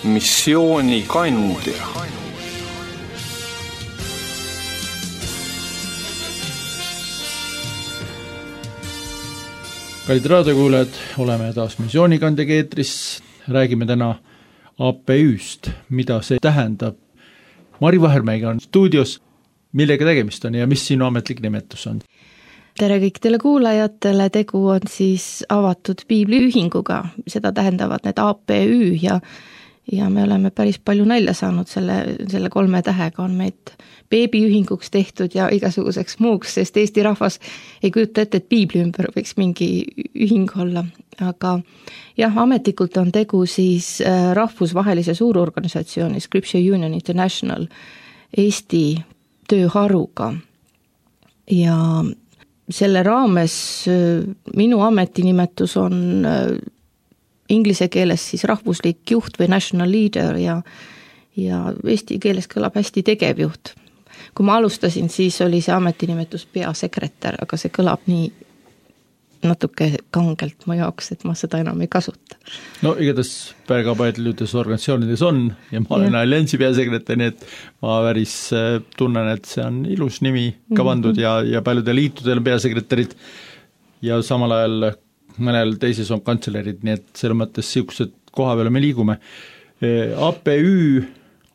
missioonikandja. Kallid raadiokuulajad, oleme taas missioonikandjaga eetris, räägime täna APÜ-st, mida see tähendab. Mari Vahermäega on stuudios, millega tegemist on ja mis sinu ametlik nimetus on? Tere kõikidele kuulajatele, tegu on siis avatud piibliühinguga, seda tähendavad need APÜ ja me oleme päris palju nalja saanud selle 3 tähega, on meid beebiühinguks tehtud ja igasuguseks muuks, sest Eesti rahvas ei kujuta ette, et piibli ümber võiks mingi ühing olla, aga jah, ametlikult on tegu siis rahvusvahelise suurorganisatsiooni Scripture Union International Eesti tööharuga ja selle raames minu ametinimetus on inglise keeles siis rahvuslik juht või national leader ja eesti keeles kõlab hästi tegevjuht. Kui ma alustasin, siis oli see ametinimetus peasekretär, aga see kõlab nii natuke kangelt mu jaoks, et ma seda enam ei kasuta. No igatahes väga paljudes organisatsioonides on ja ma olen alliansi peasekretär, nii et ma päris tunnen, et see on ilus nimi ka pandud ja paljudel liitudel on peasekretärid ja samal ajal mõnel teises on kantselerid, nii et selle mõttes siuksed koha peale me liigume. APÜ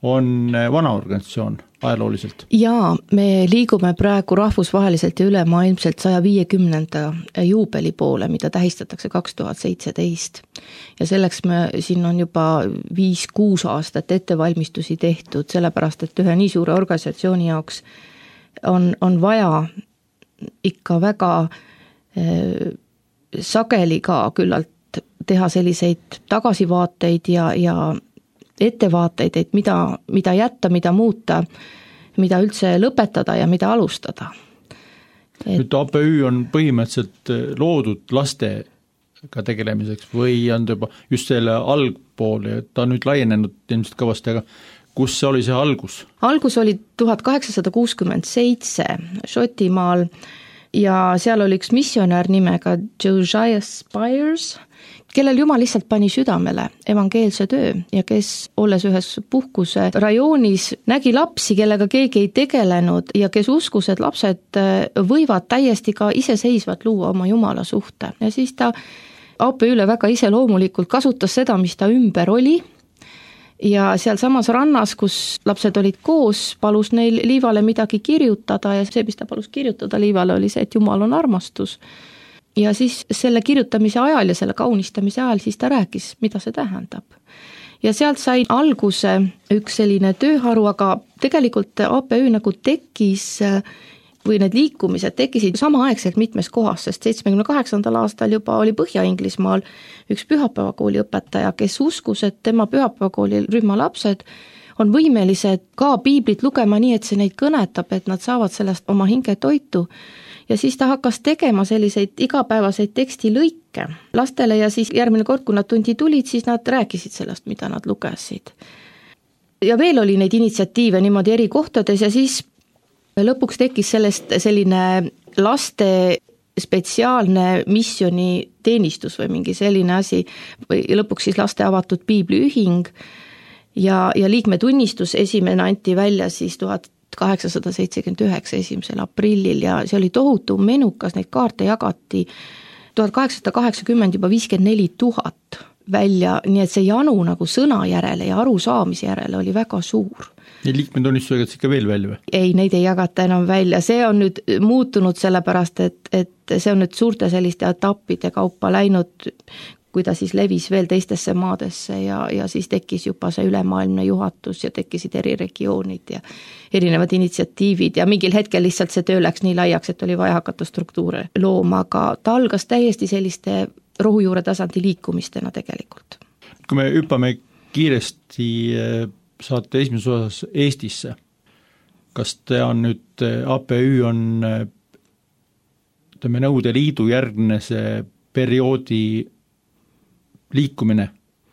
on vana organisatsioon ajalooliselt. Jaa, me liigume praegu rahvusvaheliselt ja ülemaailmselt 150. juubeli poole, mida tähistatakse 2017. Ja selleks siin on juba 5-6 aastat ettevalmistusi tehtud, sellepärast, et ühe nii suure organisatsiooni jaoks on vaja ikka väga sageli ka küllalt teha selliseid tagasivaateid ja ettevaateid, et mida jätta, mida muuta, mida üldse lõpetada ja mida alustada. Nüüd APÜ on põhimõtteliselt loodud lastega tegelemiseks või on juba just selle algpool, ta on nüüd laienenud ilmselt kõvasti, aga kus see oli see algus? Algus oli 1867 Šotimaal ja seal oli üks missionär nimega Josiah Spires, kellel Jumal lihtsalt pani südamele evangeelse töö ja kes, olles ühes puhkuse rajoonis, nägi lapsi, kellega keegi ei tegelenud ja kes uskus, et lapsed võivad täiesti ka iseseisvat luua oma Jumala suhte. Ja siis ta APÜ-le väga iseloomulikult kasutas seda, mis ta ümber oli ja seal samas rannas, kus lapsed olid koos, palus neil liivale midagi kirjutada ja see, mis ta palus kirjutada liivale, oli see, et Jumal on armastus. Ja siis selle kirjutamise ajal ja selle kaunistamise ajal siis ta rääkis, mida see tähendab. Ja sealt sai alguse üks selline tööharu, aga tegelikult APÜ nagu tekkis või need liikumised tekkisid samaaegselt mitmes kohas, sest 78. aastal juba oli Põhja-Inglismaal üks pühapäevakooli õpetaja, kes uskus, et tema pühapäevakooli rühma lapsed on võimelised ka piiblit lugema nii, et see neid kõnetab, et nad saavad sellest oma hinge toitu. Ja siis ta hakkas tegema selliseid igapäevaseid tekstilõike lastele ja siis järgmine kord, kui nad tundi tulid, siis nad rääkisid sellest, mida nad lugesid. Ja veel oli neid initsiatiive niimoodi eri kohtades ja siis lõpuks tekkis sellest selline laste spetsiaalne missioni teenistus või mingi selline asi või lõpuks siis laste avatud piibliühing ja liikmetunnistus esimene anti välja siis 1879 1. aprillil ja see oli tohutu menukas, neid kaarte jagati 1880 juba 54 000 välja, nii et see janu nagu sõna järele ja arusaamise järele oli väga suur. Neid liikmetunnistusi jagatakse ikka veel välja või? Ei, neid ei jagata enam välja, see on nüüd muutunud sellepärast, et see on nüüd suurte selliste etappide kaupa läinud, kui ta siis levis veel teistesse maadesse ja siis tekkis juba see ülemaailmne juhatus ja tekkisid eri regioonid ja erinevad initsiatiivid ja mingil hetkel lihtsalt see töö läks nii laiaks, et oli vaja hakata struktuure looma, aga ta algas täiesti selliste rohujuure tasandi liikumistena tegelikult. Kui me hüppame kiiresti saate esimeses osas Eestisse, kas ta on nüüd, APÜ on Nõukogude Liidu järgne see perioodi liikumine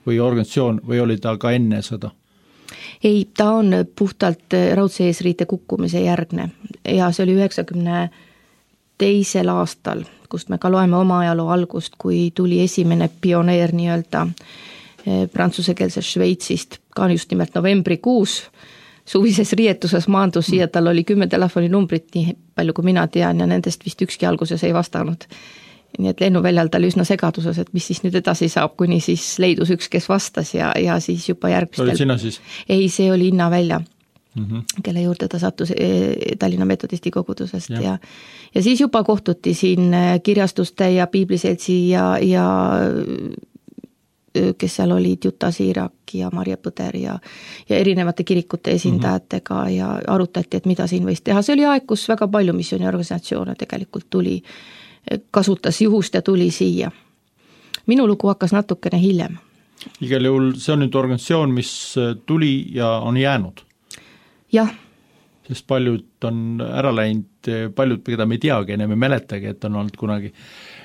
või organisatsioon või oli ta ka enne seda? Ei, ta on puhtalt raudse eesriite kukkumise järgne ja see oli 92. aastal, kust me ka loeme oma ajaloo algust, kui tuli esimene pioneer nii-öelda prantsusekeelsest Šveitsist, ka just nimelt novembrikuus, suvises riietuses maandus siia, tal oli 10 telefoninumbrit, nii palju kui mina tean, ja nendest vist ükski alguses ei vastanud. Nii et lennuväljal ta oli üsna segaduses, et mis siis nüüd edasi saab, kuni siis leidus üks, kes vastas ja siis juba järgmistel... Olid sina siis? Ei, see oli Innavälja, kelle juurde ta sattus Tallinna Metodisti kogudusest ja siis juba kohtuti siin kirjastuste ja piibliseltsi ja kes seal olid Juta Siirak ja Marje Põder ja erinevate kirikute esindajatega ja arutati, et mida siin võis teha. See oli aeg, kus väga palju missiooniorganisatsioone tegelikult tuli, kasutas juhust ja tuli siia. Minu lugu hakkas natukene hiljem. Igal juhul see on nüüd organisatsioon, mis tuli ja on jäänud. Jah. Sest paljud on ära läinud, paljud, keda me ei teagi, enam ei mäletagi, et on olnud kunagi.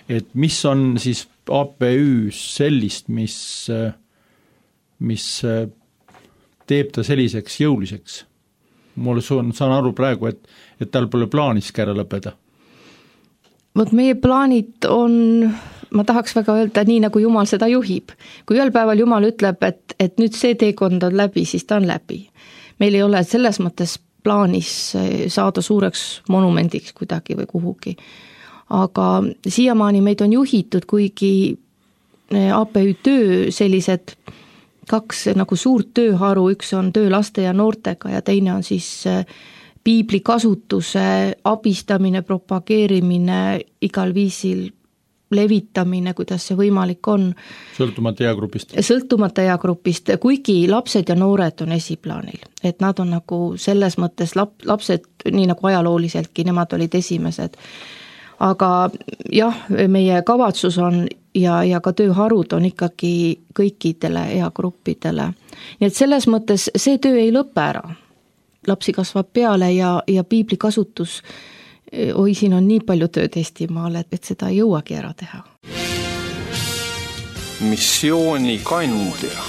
Et mis on siis APÜ sellist, mis teeb ta selliseks jõuliseks? Mulle saan aru praegu, et tal pole plaaniski ära lõpeda. Vot meie plaanid on, ma tahaks väga öelda, nii nagu Jumal seda juhib. Kui ühel päeval Jumal ütleb, et nüüd see teekond on läbi, siis ta on läbi. Meil ei ole selles mõttes plaanis saada suureks monumendiks kuidagi või kuhugi. Aga siiamaani meid on juhitud, kuigi APÜ töö sellised 2 nagu suurt tööharu, üks on töö laste ja noortega ja teine on siis piibli kasutuse abistamine, propageerimine, igal viisil levitamine, kuidas see võimalik on. Sõltumata eagrupist. Sõltumata eagrupist, kuigi lapsed ja noored on esiplaanil. Et nad on nagu selles mõttes lapsed, nii nagu ajalooliseltki, nemad olid esimesed. Aga jah, meie kavatsus on ja ka tööharud on ikkagi kõikidele eagruppidele. Nii et selles mõttes see töö ei lõpe ära. Lapsi kasvab peale ja piibli kasutus, siin on nii palju tööd Eestimaal, et seda ei jõuagi ära teha. Missiooni kandja.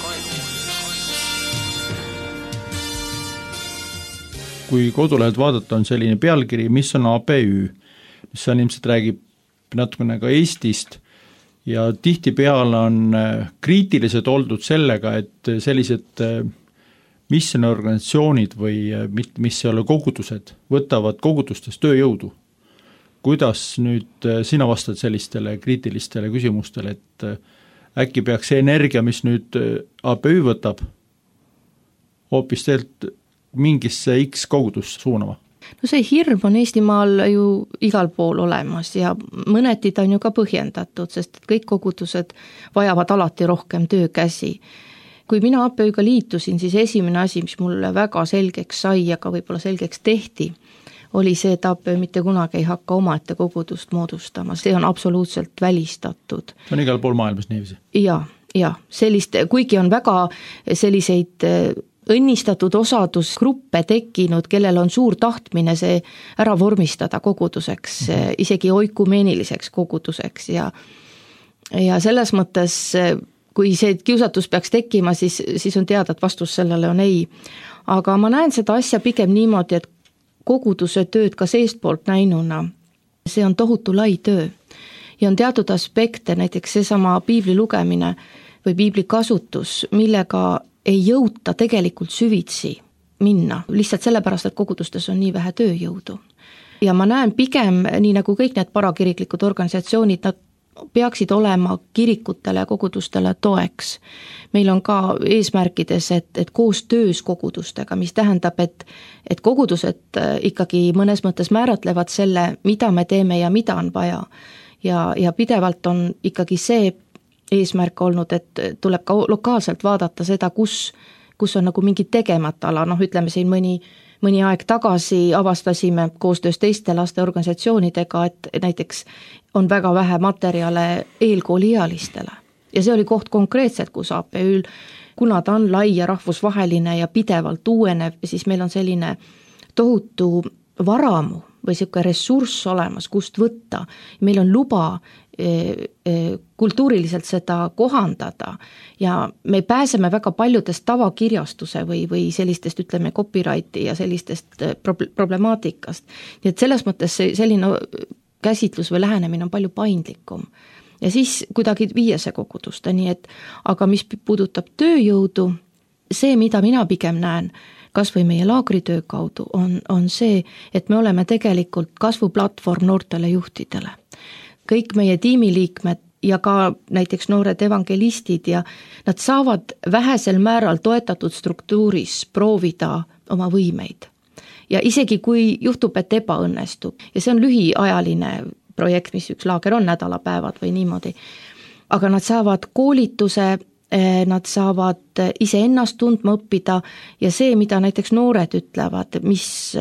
Kui kodulehelt vaadata, on selline pealkiri, mis on APÜ, mis on ilmselt räägib natukene ka Eestist ja tihtipeale on kriitilised oldud sellega, et sellised missiooniorganisatsioonid või mis ei ole kogudused, võtavad kogudustes tööjõudu. Kuidas nüüd sina vastad sellistele kriitilistele küsimustele, et äkki peaks see energia, mis nüüd APÜ võtab, hoopis teelt mingisse X kogudusse suunama? No see hirm on Eestimaal ju igal pool olemas ja mõneti ta on ju ka põhjendatud, sest kõik kogudused vajavad alati rohkem töökäsi. Kui mina APÜ-ga liitusin, siis esimene asi, mis mulle väga selgeks sai ja ka võib-olla selgeks tehti, oli see, et APÜ mitte kunagi ei hakka omaette kogudust moodustama. See on absoluutselt välistatud. See on igal pool maailmas niiviisi? Ja sellist, kuigi on väga selliseid õnnistatud osadusgruppe tekkinud, kellel on suur tahtmine see ära vormistada koguduseks, isegi oikumeniliseks koguduseks ja selles mõttes kui see kiusatus peaks tekkima, siis on teada, et vastus sellele on ei. Aga ma näen seda asja pigem niimoodi, et koguduse tööd ka seestpoolt näinuna, see on tohutu lai töö. Ja on teatud aspekte, näiteks seesama piibli lugemine või piibli kasutus, millega ei jõuta tegelikult süvitsi minna, lihtsalt sellepärast, et kogudustes on nii vähe tööjõudu. Ja ma näen pigem, nii nagu kõik need parakiriklikud organisatsioonid, nad peaksid olema kirikutele ja kogudustele toeks. Meil on ka eesmärkides, et koos töös kogudustega, mis tähendab, et kogudused ikkagi mõnes mõttes määratlevad selle, mida me teeme ja mida on vaja. Ja pidevalt on ikkagi see eesmärk olnud, et tuleb ka lokaalselt vaadata seda, kus on nagu mingi tegemata ala, ütleme siin mõni aeg tagasi avastasime koostöös teiste laste organisatsioonidega, et näiteks on väga vähe materjale eelkooliealistele. Ja see oli koht konkreetselt, kus APÜ-l, kuna ta on lai ja rahvusvaheline ja pidevalt uuenev, siis meil on selline tohutu varamu või selline ressurss olemas, kust võtta. Meil on luba kultuuriliselt seda kohandada ja me pääseme väga paljudest tavakirjastuse või sellistest, ütleme, copyrighti ja sellistest problemaatikast. Nii et selles mõttes selline käsitlus või lähenemine on palju paindlikum. ja siis kuidagi viia see kogudusteni, et aga mis puudutab tööjõudu, see, mida mina pigem näen, kas või meie laagritöö kaudu, on see, et me oleme tegelikult kasvuplatvorm noortele juhtidele. Kõik meie tiimiliikmed ja ka näiteks noored evangelistid ja nad saavad vähesel määral toetatud struktuuris proovida oma võimeid. Ja isegi kui juhtub, et ebaõnnestub ja see on lühiajaline projekt, mis üks laager on, nädalapäevad või niimoodi, aga nad saavad koolituse, nad saavad iseennast tundma õppida ja see, mida näiteks noored ütlevad, mis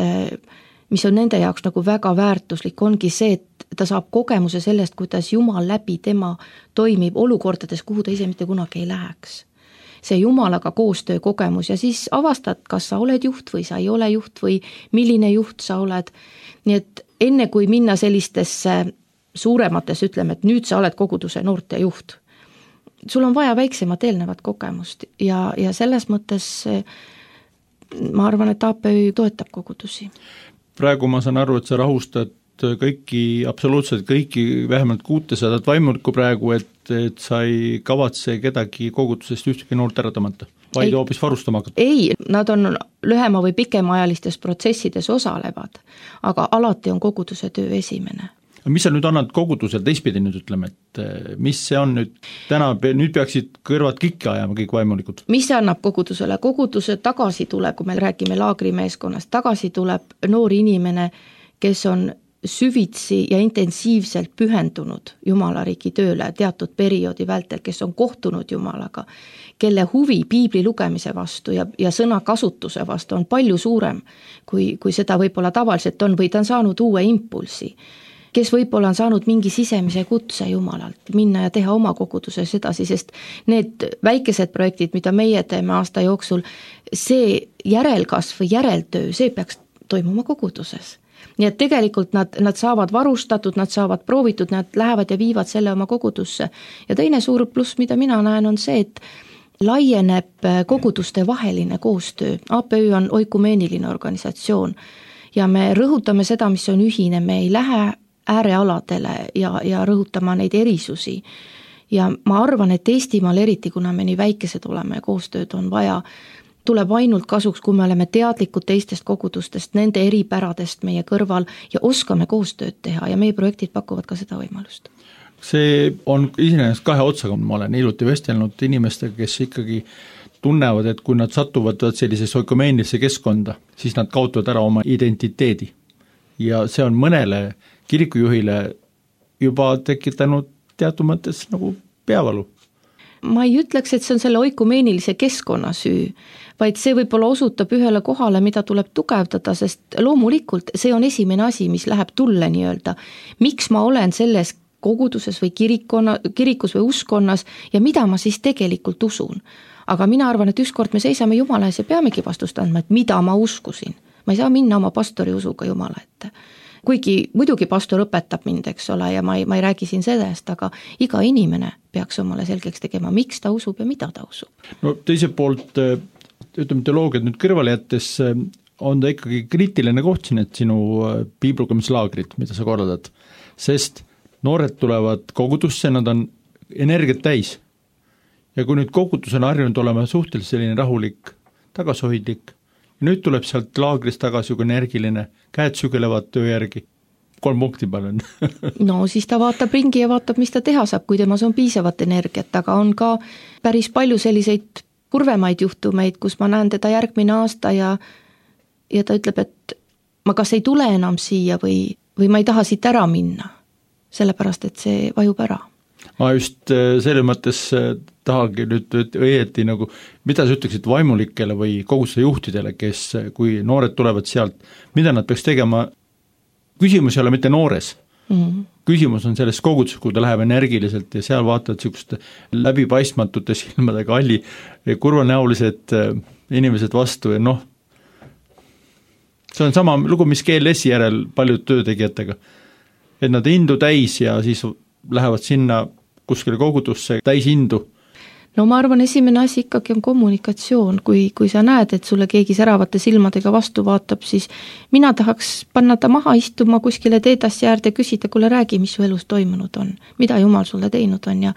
on nende jaoks nagu väga väärtuslik, ongi see, et ta saab kogemuse sellest, kuidas Jumal läbi tema toimib olukordades, kuhu ta ise mitte kunagi ei läheks. See Jumalaga koostöö kogemus ja siis avastad, kas sa oled juht või sa ei ole juht või milline juht sa oled. Nii et enne kui minna sellistesse suuremates, ütleme, et nüüd sa oled koguduse noorte juht, sul on vaja väiksemat eelnevat kogemust ja selles mõttes ma arvan, et APÜ toetab kogudusi. Praegu ma saan aru, et sa rahustad kõiki, absoluutselt kõiki, vähemalt 600 vaimulikku praegu, et sa ei kavatse kedagi kogudusest ühtegi noort ära tõmmata, vaid hoopis varustama hakata? Ei, nad on lühema või pikemaajalistes protsessides osalevad, aga alati on koguduse töö esimene. Mis sa nüüd annad kogudusel teistpidi nüüd ütleme, et mis see on nüüd täna, nüüd peaksid kõrvad kikki ajama kõik vaimulikud? Mis see annab kogudusele? Koguduse tagasi tuleb, kui me räägime laagrimeeskonnast, tagasi tuleb noor inimene, kes on süvitsi ja intensiivselt pühendunud Jumala riigi tööle teatud perioodi vältel, kes on kohtunud Jumalaga, kelle huvi piibli lugemise vastu ja sõna kasutuse vastu on palju suurem, kui seda võib-olla tavaliselt on, või ta on saanud uue impulsi, kes võib-olla on saanud mingi sisemise kutse Jumalalt, minna ja teha oma koguduses edasi, sest need väikesed projektid, mida meie teeme aasta jooksul, see järelkasv või järeltöö, see peaks toimuma koguduses. Nii et tegelikult nad saavad varustatud, nad saavad proovitud, nad lähevad ja viivad selle oma kogudusse. Ja teine suur pluss, mida mina näen, on see, et laieneb koguduste vaheline koostöö. APÜ on oikumeeniline organisatsioon ja me rõhutame seda, mis on ühine, me ei lähe äärealadele ja rõhutama neid erisusi. Ja ma arvan, et Eestimaal eriti, kuna me nii väikesed oleme ja koostööd on vaja, tuleb ainult kasuks, kui me oleme teadlikud teistest kogudustest, nende eripäradest meie kõrval ja oskame koostööd teha ja meie projektid pakuvad ka seda võimalust. See on iseenesest kahe otsaga, ma olen hiljuti vestelnud inimestega, kes ikkagi tunnevad, et kui nad satuvad sellisesse oikumeenilisse keskkonda, siis nad kaotavad ära oma identiteedi. Ja see on mõnele kirikujuhile juba tekitanud teatud mõttes nagu peavalu. Ma ei ütleks, et see on selle oikumeenilise keskkonna süü, vaid see võib-olla osutab ühele kohale, mida tuleb tugevdada, sest loomulikult see on esimene asi, mis läheb tulle nii-öelda. Miks ma olen selles koguduses või kirikus või uskonnas ja mida ma siis tegelikult usun? Aga mina arvan, et ükskord me seisame Jumala ees ja peamegi vastust andma, et mida ma uskusin. Ma ei saa minna oma pastori usuga Jumala ette. Kuigi muidugi pastor õpetab mind, eks ole, ja ma ei räägi siin sellest, aga iga inimene peaks omale selgeks tegema, miks ta usub ja mida ta usub. No teiselt poolt, ütleme teoloogiat nüüd kõrvale jättes, on ta ikkagi kriitiline koht siin, et sinu piiblugemuslaagrid, mida sa korraldad, sest noored tulevad kogudusse, nad on energiat täis. Ja kui nüüd kogudus on harjunud olema suhteliselt selline rahulik, tagasihoidlik, ja nüüd tuleb sealt laagrist tagasi juba energiline, käed sügelevad töö järgi, 3 punkti panen. No siis ta vaatab ringi ja vaatab, mis ta teha saab, kui temas on piisavat energiat, aga on ka päris palju selliseid kurvemaid juhtumeid, kus ma näen teda järgmine aasta ja ta ütleb, et ma kas ei tule enam siia või ma ei taha siit ära minna, sellepärast et see vajub ära. Ma just selle mõttes tahagi nüüd õieti nagu, mida sa ütleksid vaimulikele või koguduse juhtidele, kes, kui noored tulevad sealt, mida nad peaks tegema, küsimus ei ole mitte noores, küsimus on selles koguduses, kui ta läheb energiliselt ja seal vaatavad niisuguste läbipaistmatute silmadega alli kurvanäolised inimesed vastu ja noh, see on sama lugu, mis GLS-i järel paljud töötegijatega, et nad indu täis ja siis lähevad sinna kuskile kogudusse täis indu. no ma arvan, esimene asi ikkagi on kommunikatsioon, kui sa näed, et sulle keegi säravate silmadega vastu vaatab, siis mina tahaks panna ta maha istuma kuskile teedassi äärde ja küsida, kuule räägi, mis su elus toimunud on, mida Jumal sulle teinud on ja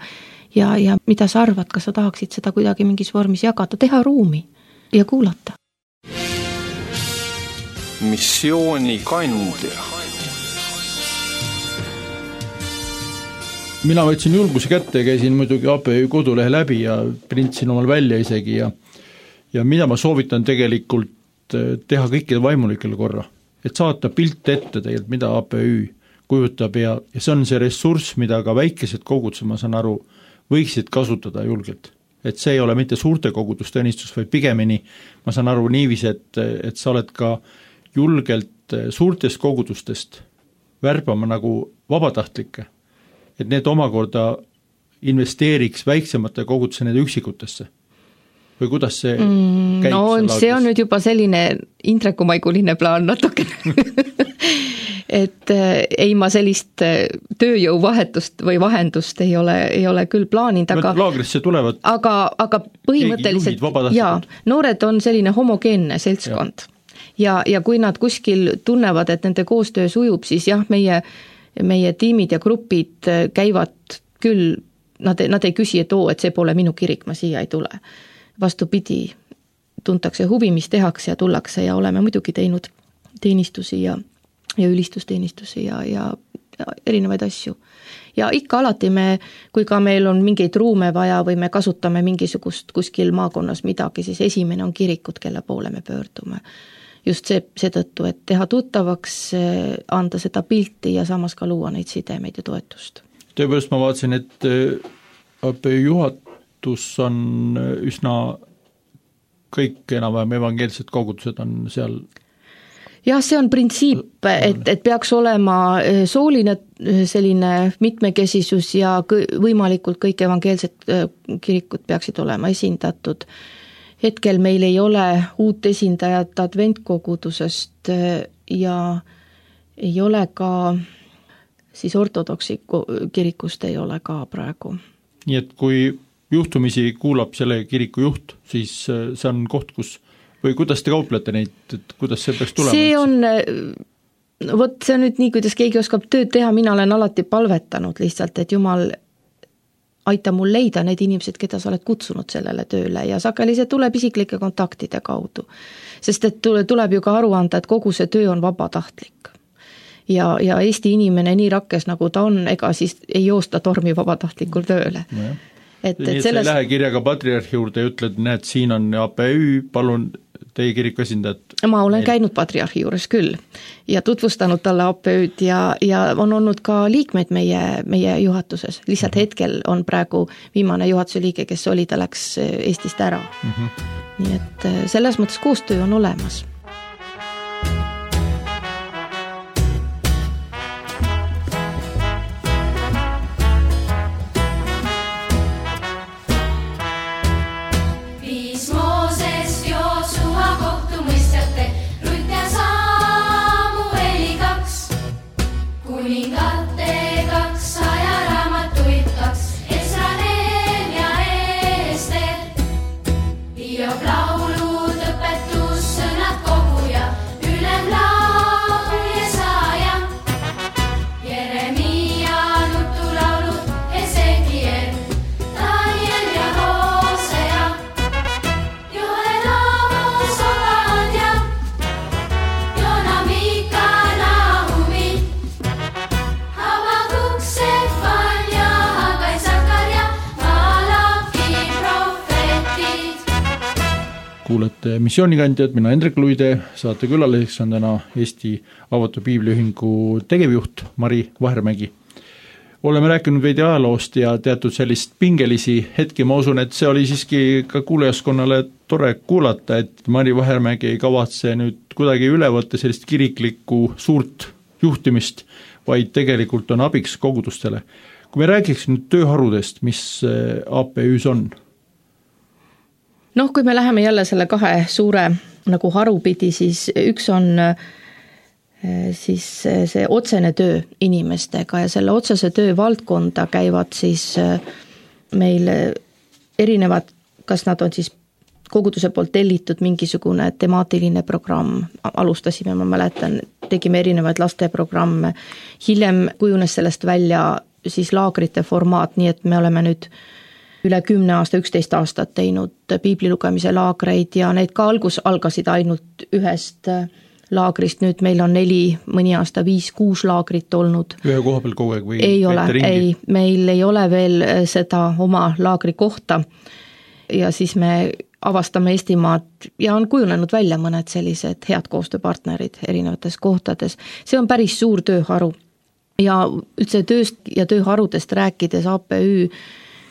mida sa arvad, kas sa tahaksid seda kuidagi mingis vormis jagada, teha ruumi ja kuulata. Missioonikandja. Mina võtsin julguse kätte ja käisin muidugi APÜ kodulehe läbi ja printsin omal välja isegi ja mida ma soovitan tegelikult teha kõikide vaimulikele korra, et saata pilt ette tegelikult, mida APÜ kujutab ja see on see ressurss, mida ka väikesed kogudused, ma saan aru, võiksid kasutada julgelt. Et see ei ole mitte suurte kogudustõnistus, vaid pigemini, ma saan aru niiviisi, et sa oled ka julgelt suurtest kogudustest värbama nagu vabatahtlikke, et need omakorda investeeriks väiksemate kogudusse nende üksikutesse. Või kuidas see käib? No see on nüüd juba selline Indrekumaiguline plaan natuke. Et ei ma sellist tööjõuvahetust või vahendust ei ole küll plaaninud, laagrisse tulevad aga põhimõtteliselt noored on selline homogeenne seltskond ja kui nad kuskil tunnevad, et nende koostöö sujub, siis jah, meie tiimid ja grupid käivad küll, nad ei küsi, et et see pole minu kirik, ma siia ei tule. Vastupidi, tuntakse huvi, mis tehakse ja tullakse ja oleme muidugi teinud teenistusi ja ülistusteenistusi ja erinevaid asju. Ja ikka alati kui ka meil on mingeid ruume vaja või me kasutame mingisugust kuskil maakonnas midagi, siis esimene on kirikud, kelle poole me pöördume. Just seetõttu, et teha tuttavaks, anda seda pilti ja samas ka luua neid sidemeid ja toetust. Tõepoolest ma vaatasin, et APÜ juhatus on üsna kõik enam-vähem evangeelsed kogudused on seal. Jah, see on printsiip, et peaks olema sooline selline mitmekesisus ja võimalikult kõik evangeelsed kirikud peaksid olema esindatud. Hetkel meil ei ole uut esindajat adventkogudusest ja ei ole ka siis ortodoksi kirikust ei ole ka praegu. Nii et kui juhtumisi kuulab selle kiriku juht, siis see on koht, kus või kuidas te kauplete neid, et kuidas see peaks tulema? See on nüüd nii, kuidas keegi oskab tööd teha, mina olen alati palvetanud lihtsalt, et Jumal aita mul leida need inimesed, keda sa oled kutsunud sellele tööle ja sageli see tuleb isiklike kontaktide kaudu. Sest et tuleb ju ka aru anda, et kogu see töö on vabatahtlik. Ja Eesti inimene nii rakkes nagu ta on, ega siis ei joosta tormi vabatahtlikul tööle. No nii et sa ei lähe kirjaga patriarhi juurde ja ütled, näed, siin on APÜ, palun teie kiriku esindajad. Ma olen käinud patriarhi juures küll ja tutvustanud talle APÜ-d ja on olnud ka liikmeid meie juhatuses. Lihtsalt hetkel on praegu viimane juhatuse liige, kes oli, ta läks Eestist ära. Nii et selles mõttes koostöö on olemas. Kuulete Missioonikandjad, mina Hendrik Luide, saate külaliseks on täna Eesti Avatud Piibliühingu tegevjuht Mari Vahermägi. Oleme rääkinud veidi ajaloost ja teatud sellist pingelisi hetki, ma usun, et see oli siiski ka kuulajaskonnale tore kuulata, et Mari Vahermägi ei kavatse nüüd kuidagi üle võtta sellist kiriklikku suurt juhtimist, vaid tegelikult on abiks kogudustele. Kui me räägiks nüüd tööharudest, mis APÜs on? Kui me läheme jälle selle kahe suure nagu harupidi, siis üks on siis see otsene töö inimestega ja selle otsese töö valdkonda käivad siis meil erinevad, kas nad on siis koguduse poolt tellitud mingisugune temaatiline programm, alustasime, ma mäletan, tegime erinevaid lasteprogramme, hiljem kujunes sellest välja siis laagrite formaat, nii et me oleme nüüd üle 10 aasta, 11 aastat teinud piiblilugemise laagreid ja need ka algasid ainult ühest laagrist, nüüd meil on 4, mõni aasta 5-6 laagrit olnud. Ühe koha peal kogu aeg või? Ei ole, meil ei ole veel seda oma laagri kohta ja siis me avastame Eestimaad ja on kujunenud välja mõned sellised head koostööpartnerid erinevates kohtades. See on päris suur tööharu ja üldse tööst ja tööharudest rääkides APÜ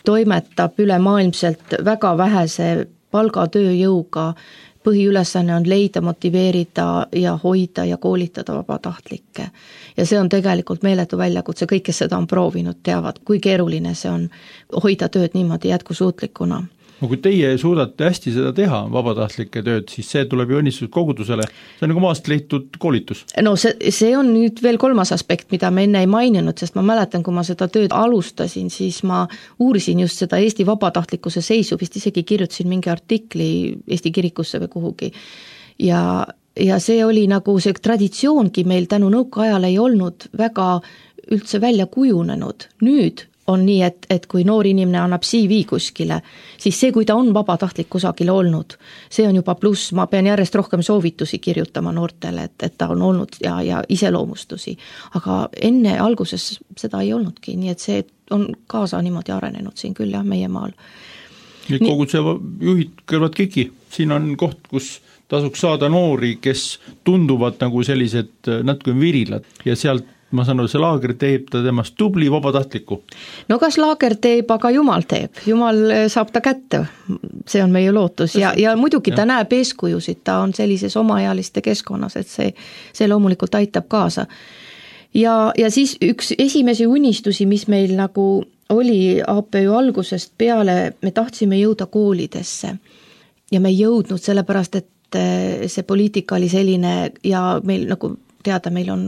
toimetab ülemaailmselt väga vähese palgatööjõuga. Põhiülesanne on leida, motiveerida ja hoida ja koolitada vabatahtlikke. Ja see on tegelikult meeletu väljakutse, kõik, kes seda on proovinud, teavad, kui keeruline see on hoida tööd niimoodi jätkusuutlikuna. No kui teie suudate hästi seda teha, vabatahtlike tööd, siis see tuleb ju õnnistus kogudusele, see on nagu maast leitud koolitus. No see on nüüd veel 3. aspekt, mida me enne ei maininud, sest ma mäletan, kui ma seda tööd alustasin, siis ma uurisin just seda Eesti vabatahtlikkuse seisu, vist isegi kirjutasin mingi artikli Eesti kirikusse või kuhugi. Ja see oli nagu see traditsioongi meil tänu nõukaajal ei olnud väga üldse välja kujunenud. Nüüd on nii, et kui noor inimene annab CV kuskile, siis see, kui ta on vabatahtlik kusagil olnud, see on juba pluss, ma pean järjest rohkem soovitusi kirjutama noortele, et ta on olnud ja iseloomustusi. Aga enne alguses seda ei olnudki, nii et see on kaasa niimoodi arenenud siin küll jah, meie maal. Nüüd koguduse juhid kõrvad kiki, siin on koht, kus tasuks saada noori, kes tunduvad nagu sellised natuke virilad ja sealt ma saan aru, see laager teeb ta temast tubli vabatahtliku. No kas laager teeb, aga Jumal teeb. Jumal saab ta kätte, see on meie lootus ja muidugi ta näeb eeskujusid, ta on sellises omaealiste keskkonnas, et see loomulikult aitab kaasa. Ja siis üks esimesi unistusi, mis meil nagu oli APÜ algusest peale, me tahtsime jõuda koolidesse ja me ei jõudnud sellepärast, et see poliitika oli selline ja meil nagu teada, meil on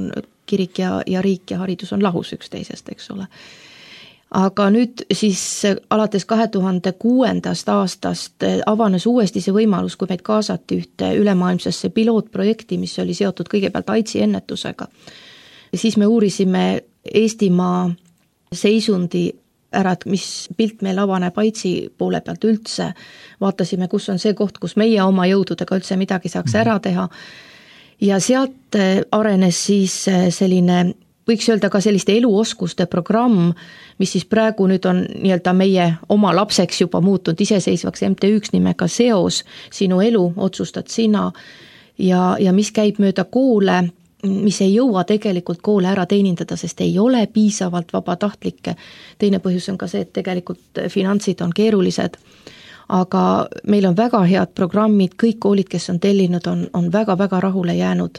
kirik ja riik ja haridus on lahus üksteisest, eks ole. Aga nüüd siis alates 2006. aastast avanes uuesti see võimalus, kui meid kaasati ühte ülemaailmsesse pilootprojekti, mis oli seotud kõigepealt AIDSi ennetusega. Siis me uurisime Eestimaa seisundi ära, et mis pilt meil avaneb AIDSi poole pealt üldse. Vaatasime, kus on see koht, kus meie oma jõududega üldse midagi saaks ära teha. Ja sealt arenes siis selline, võiks öelda ka selliste eluoskuste programm, mis siis praegu nüüd on nii-öelda meie oma lapseks juba muutunud iseseisvaks MTÜ-ks nimega Seos, sinu elu otsustad sina ja mis käib mööda koole, mis ei jõua tegelikult koole ära teenindada, sest ei ole piisavalt vabatahtlikke. Teine põhjus on ka see, et tegelikult finantsid on keerulised. Aga meil on väga head programmid, kõik koolid, kes on tellinud, on väga-väga rahule jäänud.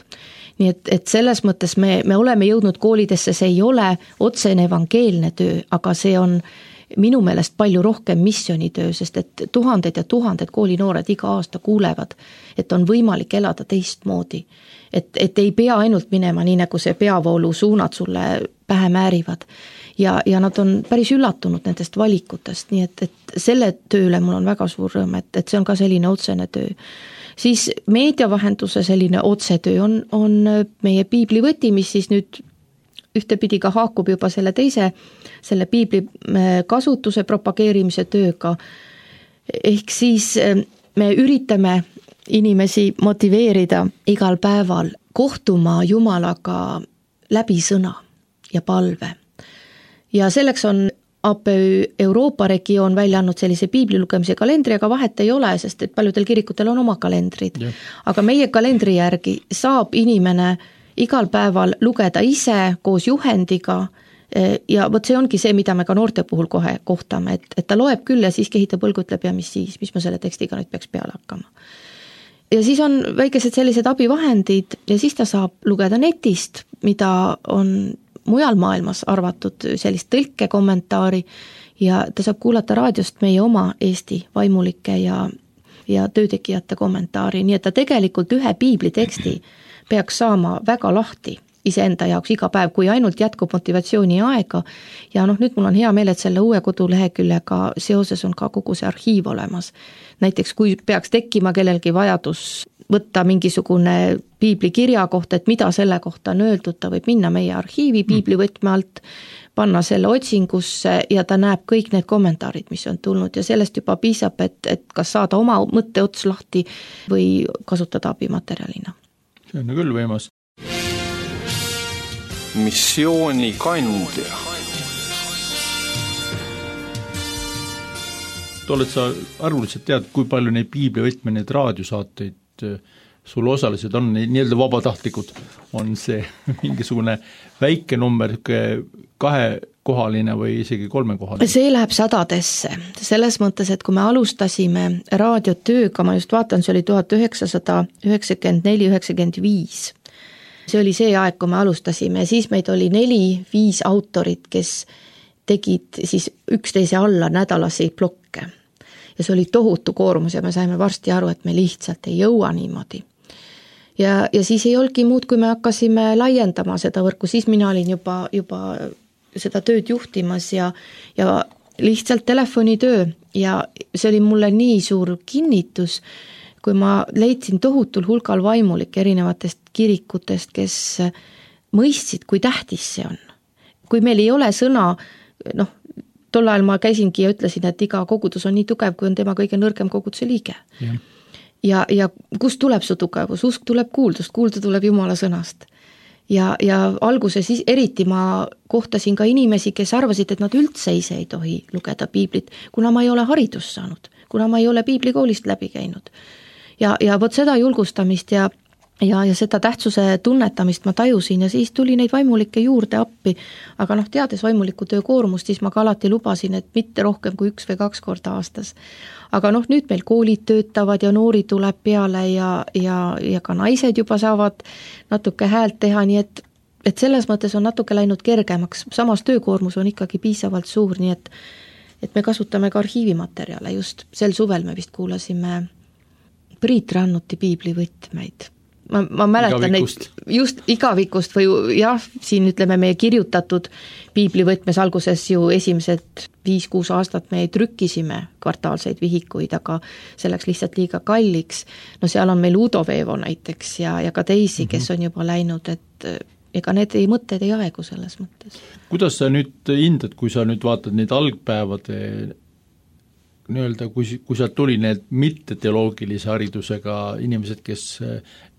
Nii et selles mõttes me oleme jõudnud koolidesse, see ei ole otsene evangeelne töö, aga see on minu meelest palju rohkem missionitöö, sest et tuhanded ja tuhanded koolinoored iga aasta kuulevad, et on võimalik elada teistmoodi. Et ei pea ainult minema nii, nagu see peavoolu suunad sulle pähe määrivad. Ja nad on päris üllatunud nendest valikutest, nii et selle tööle mul on väga suur rõõm, et see on ka selline otsene töö. Siis meediavahenduse selline otsetöö on meie piiblivõti, mis siis nüüd ühtepidi ka haakub juba selle piibli kasutuse propageerimise tööga. Ehk siis me üritame inimesi motiveerida igal päeval kohtuma Jumalaga läbi sõna ja palve. Ja selleks on APÜ Euroopa regioon välja andnud sellise piiblilugemise kalendri, aga vahet ei ole, sest et paljudel kirikutel on oma kalendrid. Ja. Aga meie kalendri järgi saab inimene igal päeval lugeda ise koos juhendiga ja vot see ongi see, mida me ka noorte puhul kohe kohtame, et ta loeb küll ja siis kehitab õlgu, ütleb ja mis ma selle tekstiga nüüd peaks peale hakkama. Ja siis on väikesed sellised abivahendid ja siis ta saab lugeda netist, mida on mujal maailmas arvatud sellist tõlke kommentaari ja ta saab kuulata raadiost meie oma Eesti vaimulike ja töötegijate kommentaari, nii et ta tegelikult ühe piibliteksti peaks saama väga lahti iseenda jaoks iga päev, kui ainult jätkub motivatsiooni aega. Ja nüüd mul on hea meel, et selle uue koduleheküljega seoses on ka kogu see arhiiv olemas. Näiteks kui peaks tekkima kellelgi vajadus võtta mingisugune piiblikirja kohta, et mida selle kohta on öeldud, ta võib minna meie arhiivi piiblivõtme alt, panna selle otsingusse ja ta näeb kõik need kommentaarid, mis on tulnud ja sellest juba piisab, et kas saada oma mõtteots lahti või kasutada abimaterjalina. See on küll võimas. Missioonikandja. Oled sa arvuliselt tead, kui palju neid piiblivõtme, neid raadiosaateid sul osalised on, nii-öelda vabatahtlikud, on see mingisugune väike number, kahekohaline või isegi kolmekohaline? See läheb sadadesse, selles mõttes, et kui me alustasime raadiotööga, ma just vaatan, see oli 1994-95, see oli see aeg, kui me alustasime, siis meid oli 4-5 autorit, kes tegid siis üksteise alla nädalasi plokke. Ja see oli tohutu koormus ja me saime varsti aru, et me lihtsalt ei jõua niimoodi. Ja siis ei olgi muud, kui me hakkasime laiendama seda võrku, siis mina olin juba seda tööd juhtimas ja lihtsalt telefonitöö ja see oli mulle nii suur kinnitus, kui ma leidsin tohutul hulgal vaimulik erinevatest kirikutest, kes mõistsid, kui tähtis see on. Kui meil ei ole sõna, tol ajal ma käisingi ja ütlesin, et iga kogudus on nii tugev, kui on tema kõige nõrgem koguduse liige. Ja kust tuleb su tugevus? Usk tuleb kuuldust, kuulda tuleb Jumala sõnast. Ja alguses eriti ma kohtasin ka inimesi, kes arvasid, et nad üldse ise ei tohi lugeda piiblit, kuna ma ei ole haridust saanud, kuna ma ei ole piiblikoolist läbi käinud. Ja võt seda julgustamist ja seda tähtsuse tunnetamist ma tajusin ja siis tuli neid vaimulikke juurde appi, aga teades vaimuliku töö koormust, siis ma ka alati lubasin, et mitte rohkem kui 1 või 2 korda aastas. Aga nüüd meil koolid töötavad ja noori tuleb peale ja ka naised juba saavad natuke häält teha, nii et selles mõttes on natuke läinud kergemaks, samas töökoormus on ikkagi piisavalt suur, nii et me kasutame ka arhiivimaterjale, just sel suvel me vist kuulasime Priit Rannuti piiblivõtmeid. Ma mäletan neid just igavikust või siin ütleme meie kirjutatud piiblivõtmes alguses ju esimesed 5-6 aastat me trükkisime kvartaalseid vihikuid, aga see läks lihtsalt liiga kalliks. Seal on meil Udo Veevo näiteks ja ka teisi, kes on juba läinud, et ega need mõtted ei aegu selles mõttes. Kuidas sa nüüd hindad, kui sa nüüd vaatad neid algpäevade nii-öelda, kui sealt tuli need mitte-teoloogilise haridusega inimesed, kes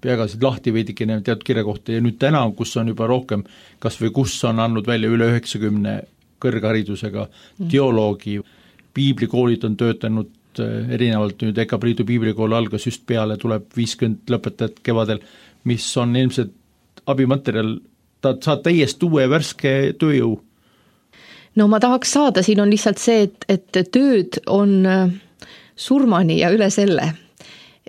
peagasid lahti veidikene teatud kirja kohta ja nüüd täna, kus on juba rohkem, kas või kus on andnud välja üle 90 kõrgharidusega teoloogi, piiblikoolid on töötanud erinevalt nüüd Eka Priidu piiblikool algas just peale, tuleb 50 lõpetajat kevadel, mis on ilmselt abimaterjal, ta saad täiesti uue värske tööjõu. No ma tahaks saada, siin on lihtsalt see, et tööd on surmani ja üle selle.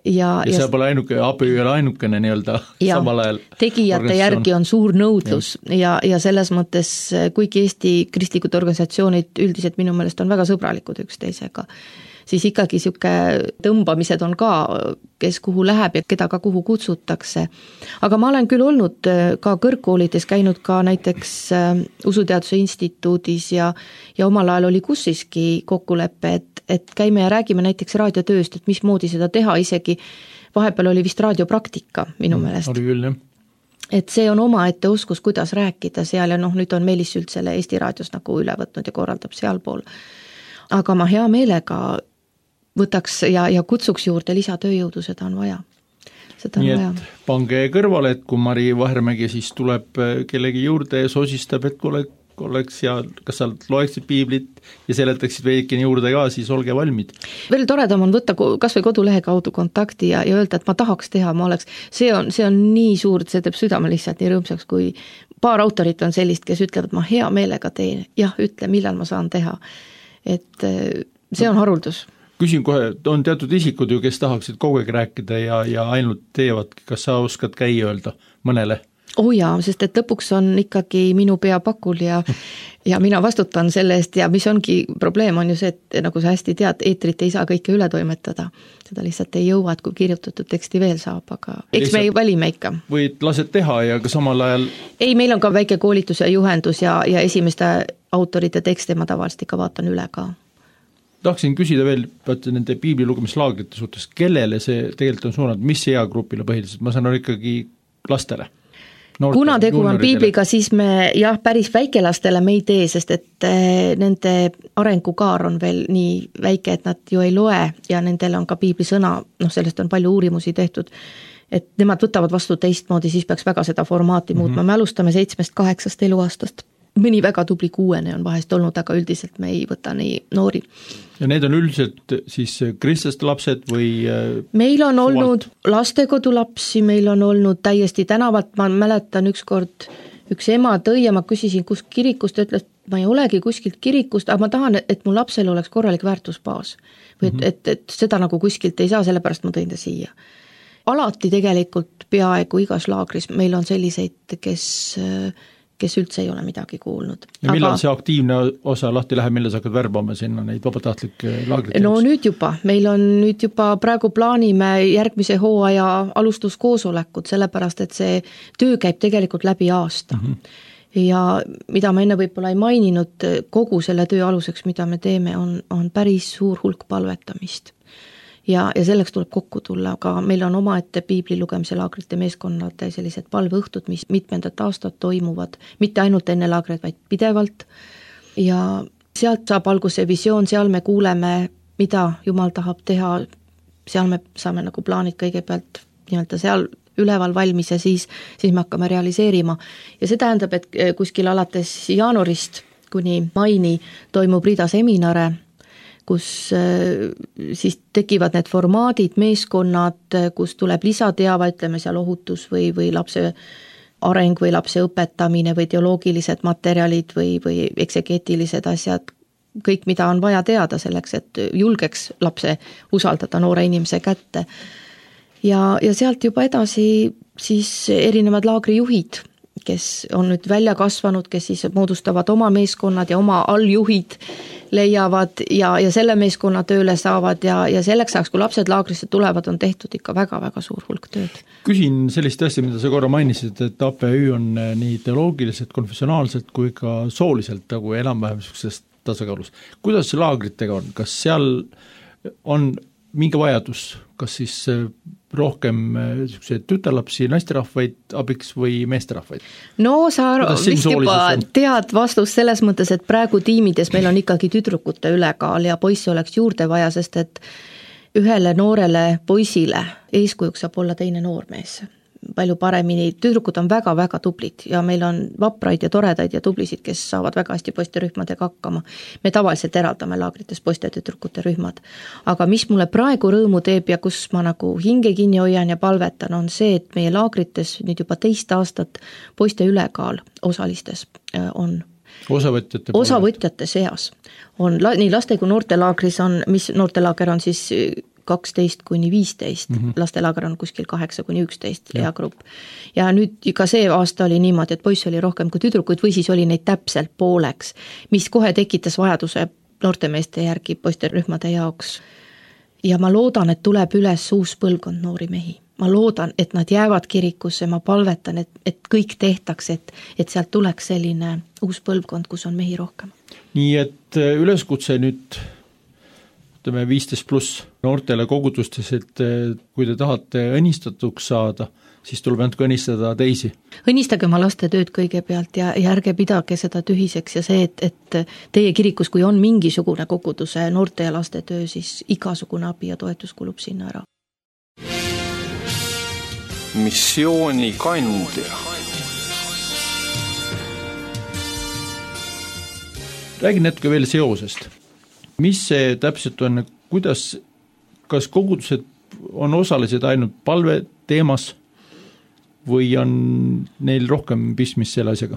Ja see pole abi ei ole ainukene nii-öelda samal ajal. Tegijate järgi on suur nõudlus ja selles mõttes, kuigi Eesti kristlikud organisatsioonid üldiselt minu meelest on väga sõbralikud üksteisega, siis ikkagi siuke tõmbamised on ka, kes kuhu läheb ja keda ka kuhu kutsutakse. Aga ma olen küll olnud ka kõrgkoolides, käinud ka näiteks Usuteaduse instituudis ja omal ajal oli kussiski kokkulepe, et käime ja räägime näiteks raadiotööst, et mismoodi seda teha, isegi vahepeal oli vist raadiopraktika minu meelest. Oli küll, jah. Et see on omaette oskus, kuidas rääkida seal ja nüüd on Meelis Sült selle Eesti raadios nagu üle võtnud ja korraldab sealpool. Aga ma hea meelega võtaks ja kutsuks juurde lisatööjõudu, seda on vaja. Nii et pange kõrvale, et kui Mari Vahermägi siis tuleb kellegi juurde ja sosistab, et oleks ja kas sa loeksid piiblit ja seletaksid veidikene juurde ka, siis olge valmid. Veel toredam on võtta kas või kodulehe kaudu kontakti ja öelda, et ma tahaks teha, see on nii suur, see teeb südame lihtsalt nii rõõmsaks, kui paar autorit on sellist, kes ütlevad, ma hea meelega teen, jah, ütle, millal ma saan teha. Et see on haruldus. Küsin kohe, on teatud isikud ju, kes tahaksid kogu aeg rääkida ja ainult teevad, kas sa oskad käia öelda mõnele? jaa, sest et lõpuks on ikkagi minu pea pakul ja mina vastutan selle eest ja mis ongi probleem on ju see, et nagu sa hästi tead, eetrit ei saa kõike üle toimetada. Seda lihtsalt ei jõua, et kui kirjutatud teksti veel saab, aga eks me valime ikka. Või lased teha ja ka samal ajal... Ei, meil on ka väike koolitus ja juhendus ja esimeste autorite tekste ma tavaliselt ikka vaatan üle ka. Tahtsin küsida veel nende piiblilugemuslaagrite suhtes, kellele see tegelikult on suunanud, mis eagrupile põhiliselt, ma saan aru ikkagi lastele? Kuna tegu on piibliga, siis me päris väikelastele me ei tee, sest et nende arengukaar on veel nii väike, et nad ju ei loe ja nendel on ka piiblisõna, sellest on palju uurimusi tehtud, et nemad võtavad vastu teistmoodi, siis peaks väga seda formaati muutma. Me alustame 7-8 eluaastast. Mõni väga tubli 6 on vahest olnud, aga üldiselt me ei võta nii noori. Ja need on üldiselt siis kristlaste lapsed või... Meil on olnud lastekodulapsi, meil on olnud täiesti tänavalt, ma mäletan ükskord üks ema tõi ja ma küsisin, kus kirikust, ütles, et ma ei olegi kuskilt kirikust, aga ma tahan, et mu lapsel oleks korralik väärtusbaas. Või et seda nagu kuskilt ei saa, sellepärast ma tõin ta siia. Alati tegelikult peaaegu igas laagris meil on selliseid, kes üldse ei ole midagi kuulnud. Ja millal see aktiivne osa lahti läheb, mille sa hakkad värbama sinna neid vabatahtlikke laagrit? No nüüd juba, meil on nüüd juba praegu plaanime järgmise hooaja alustuskoosolekut, sellepärast et see töö käib tegelikult läbi aasta. Ja mida ma enne võib-olla ei maininud, kogu selle töö aluseks, mida me teeme, on päris suur hulk palvetamist. Ja selleks tuleb kokku tulla, aga meil on omaette piibli lugemise laagrite meeskonnad sellised palveõhtud, mis mitmendat aastat toimuvad, mitte ainult enne laagreid, vaid pidevalt. Ja sealt saab alguse visioon, seal me kuuleme, mida Jumal tahab teha, seal me saame nagu plaanid kõigepealt nii-öelda seal üleval valmis ja siis me hakkame realiseerima. Ja see tähendab, et kuskil alates jaanuarist kuni maini toimub rida seminare, kus siis tekivad need formaadid, meeskonnad, kus tuleb lisateava, ütleme seal ohutus või lapse areng või lapse õpetamine või teoloogilised materjalid või eksegeetilised asjad, kõik, mida on vaja teada selleks, et julgeks lapse usaldada noore inimese kätte. Ja sealt juba edasi siis erinevad laagrijuhid, kes on nüüd välja kasvanud, kes siis moodustavad oma meeskonnad ja oma alljuhid leiavad ja selle meeskonna tööle saavad ja selleks ajaks, kui lapsed laagrisse tulevad, on tehtud ikka väga-väga suur hulk tööd. Küsin sellist asja, mida sa korra mainisid, et APÜ on nii teoloogiliselt, konfessionaalselt kui ka sooliselt nagu enam-vähem sellisest tasakaalus. Kuidas see laagritega on? Kas seal on mingi vajadus, kas siis rohkem tütarlapsi, naisterahvaid abiks või meesterahvaid? No sa vist juba tead vastust selles mõttes, et praegu tiimides meil on ikkagi tüdrukute ülekaal ja poisse oleks juurde vaja, sest et ühele noorele poisile eeskujuks saab olla teine noormees. Palju paremini, tüdrukud on väga-väga tublid ja meil on vapraid ja toredaid ja tublisid, kes saavad väga hästi poisterühmadega hakkama. Me tavaliselt eraldame laagrites poiste tüdrukute rühmad. Aga mis mulle praegu rõõmu teeb ja kus ma nagu hinge kinni hoian ja palvetan, on see, et meie laagrites nüüd juba 2 aastat poiste ülekaal osalistes on osavõtjate seas. On nii laste kui noortelaagris on, mis noortelaager on siis 12 kuni 15, lastelaager on kuskil 8 kuni 11 eagrupp. Ja nüüd ka see aasta oli niimoodi, et poiss oli rohkem kui tüdrukuid või siis oli neid täpselt pooleks, mis kohe tekitas vajaduse noortemeeste järgi poisterühmade jaoks. Ja ma loodan, et tuleb üles uus põlvkond noori mehi. Ma loodan, et nad jäävad kirikusse, ma palvetan, et kõik tehtaks, et sealt tuleks selline uus põlvkond, kus on mehi rohkem. Nii et üleskutse nüüd 15+ noortele kogudustes, et kui te tahate õnnistatuks saada, siis tuleb ainult õnnistada teisi. Õnnistage oma laste tööd kõigepealt ja ärge pidage seda tühiseks ja see, et teie kirikus, kui on mingisugune koguduse noorte ja laste töö, siis igasugune abi ja toetus kulub sinna ära. Missiooni kandja. Räägin natuke veel seosest. Mis see täpselt on, kuidas, kas kogudused on osalised ainult palve teemas või on neil rohkem pistmist selle asjaga?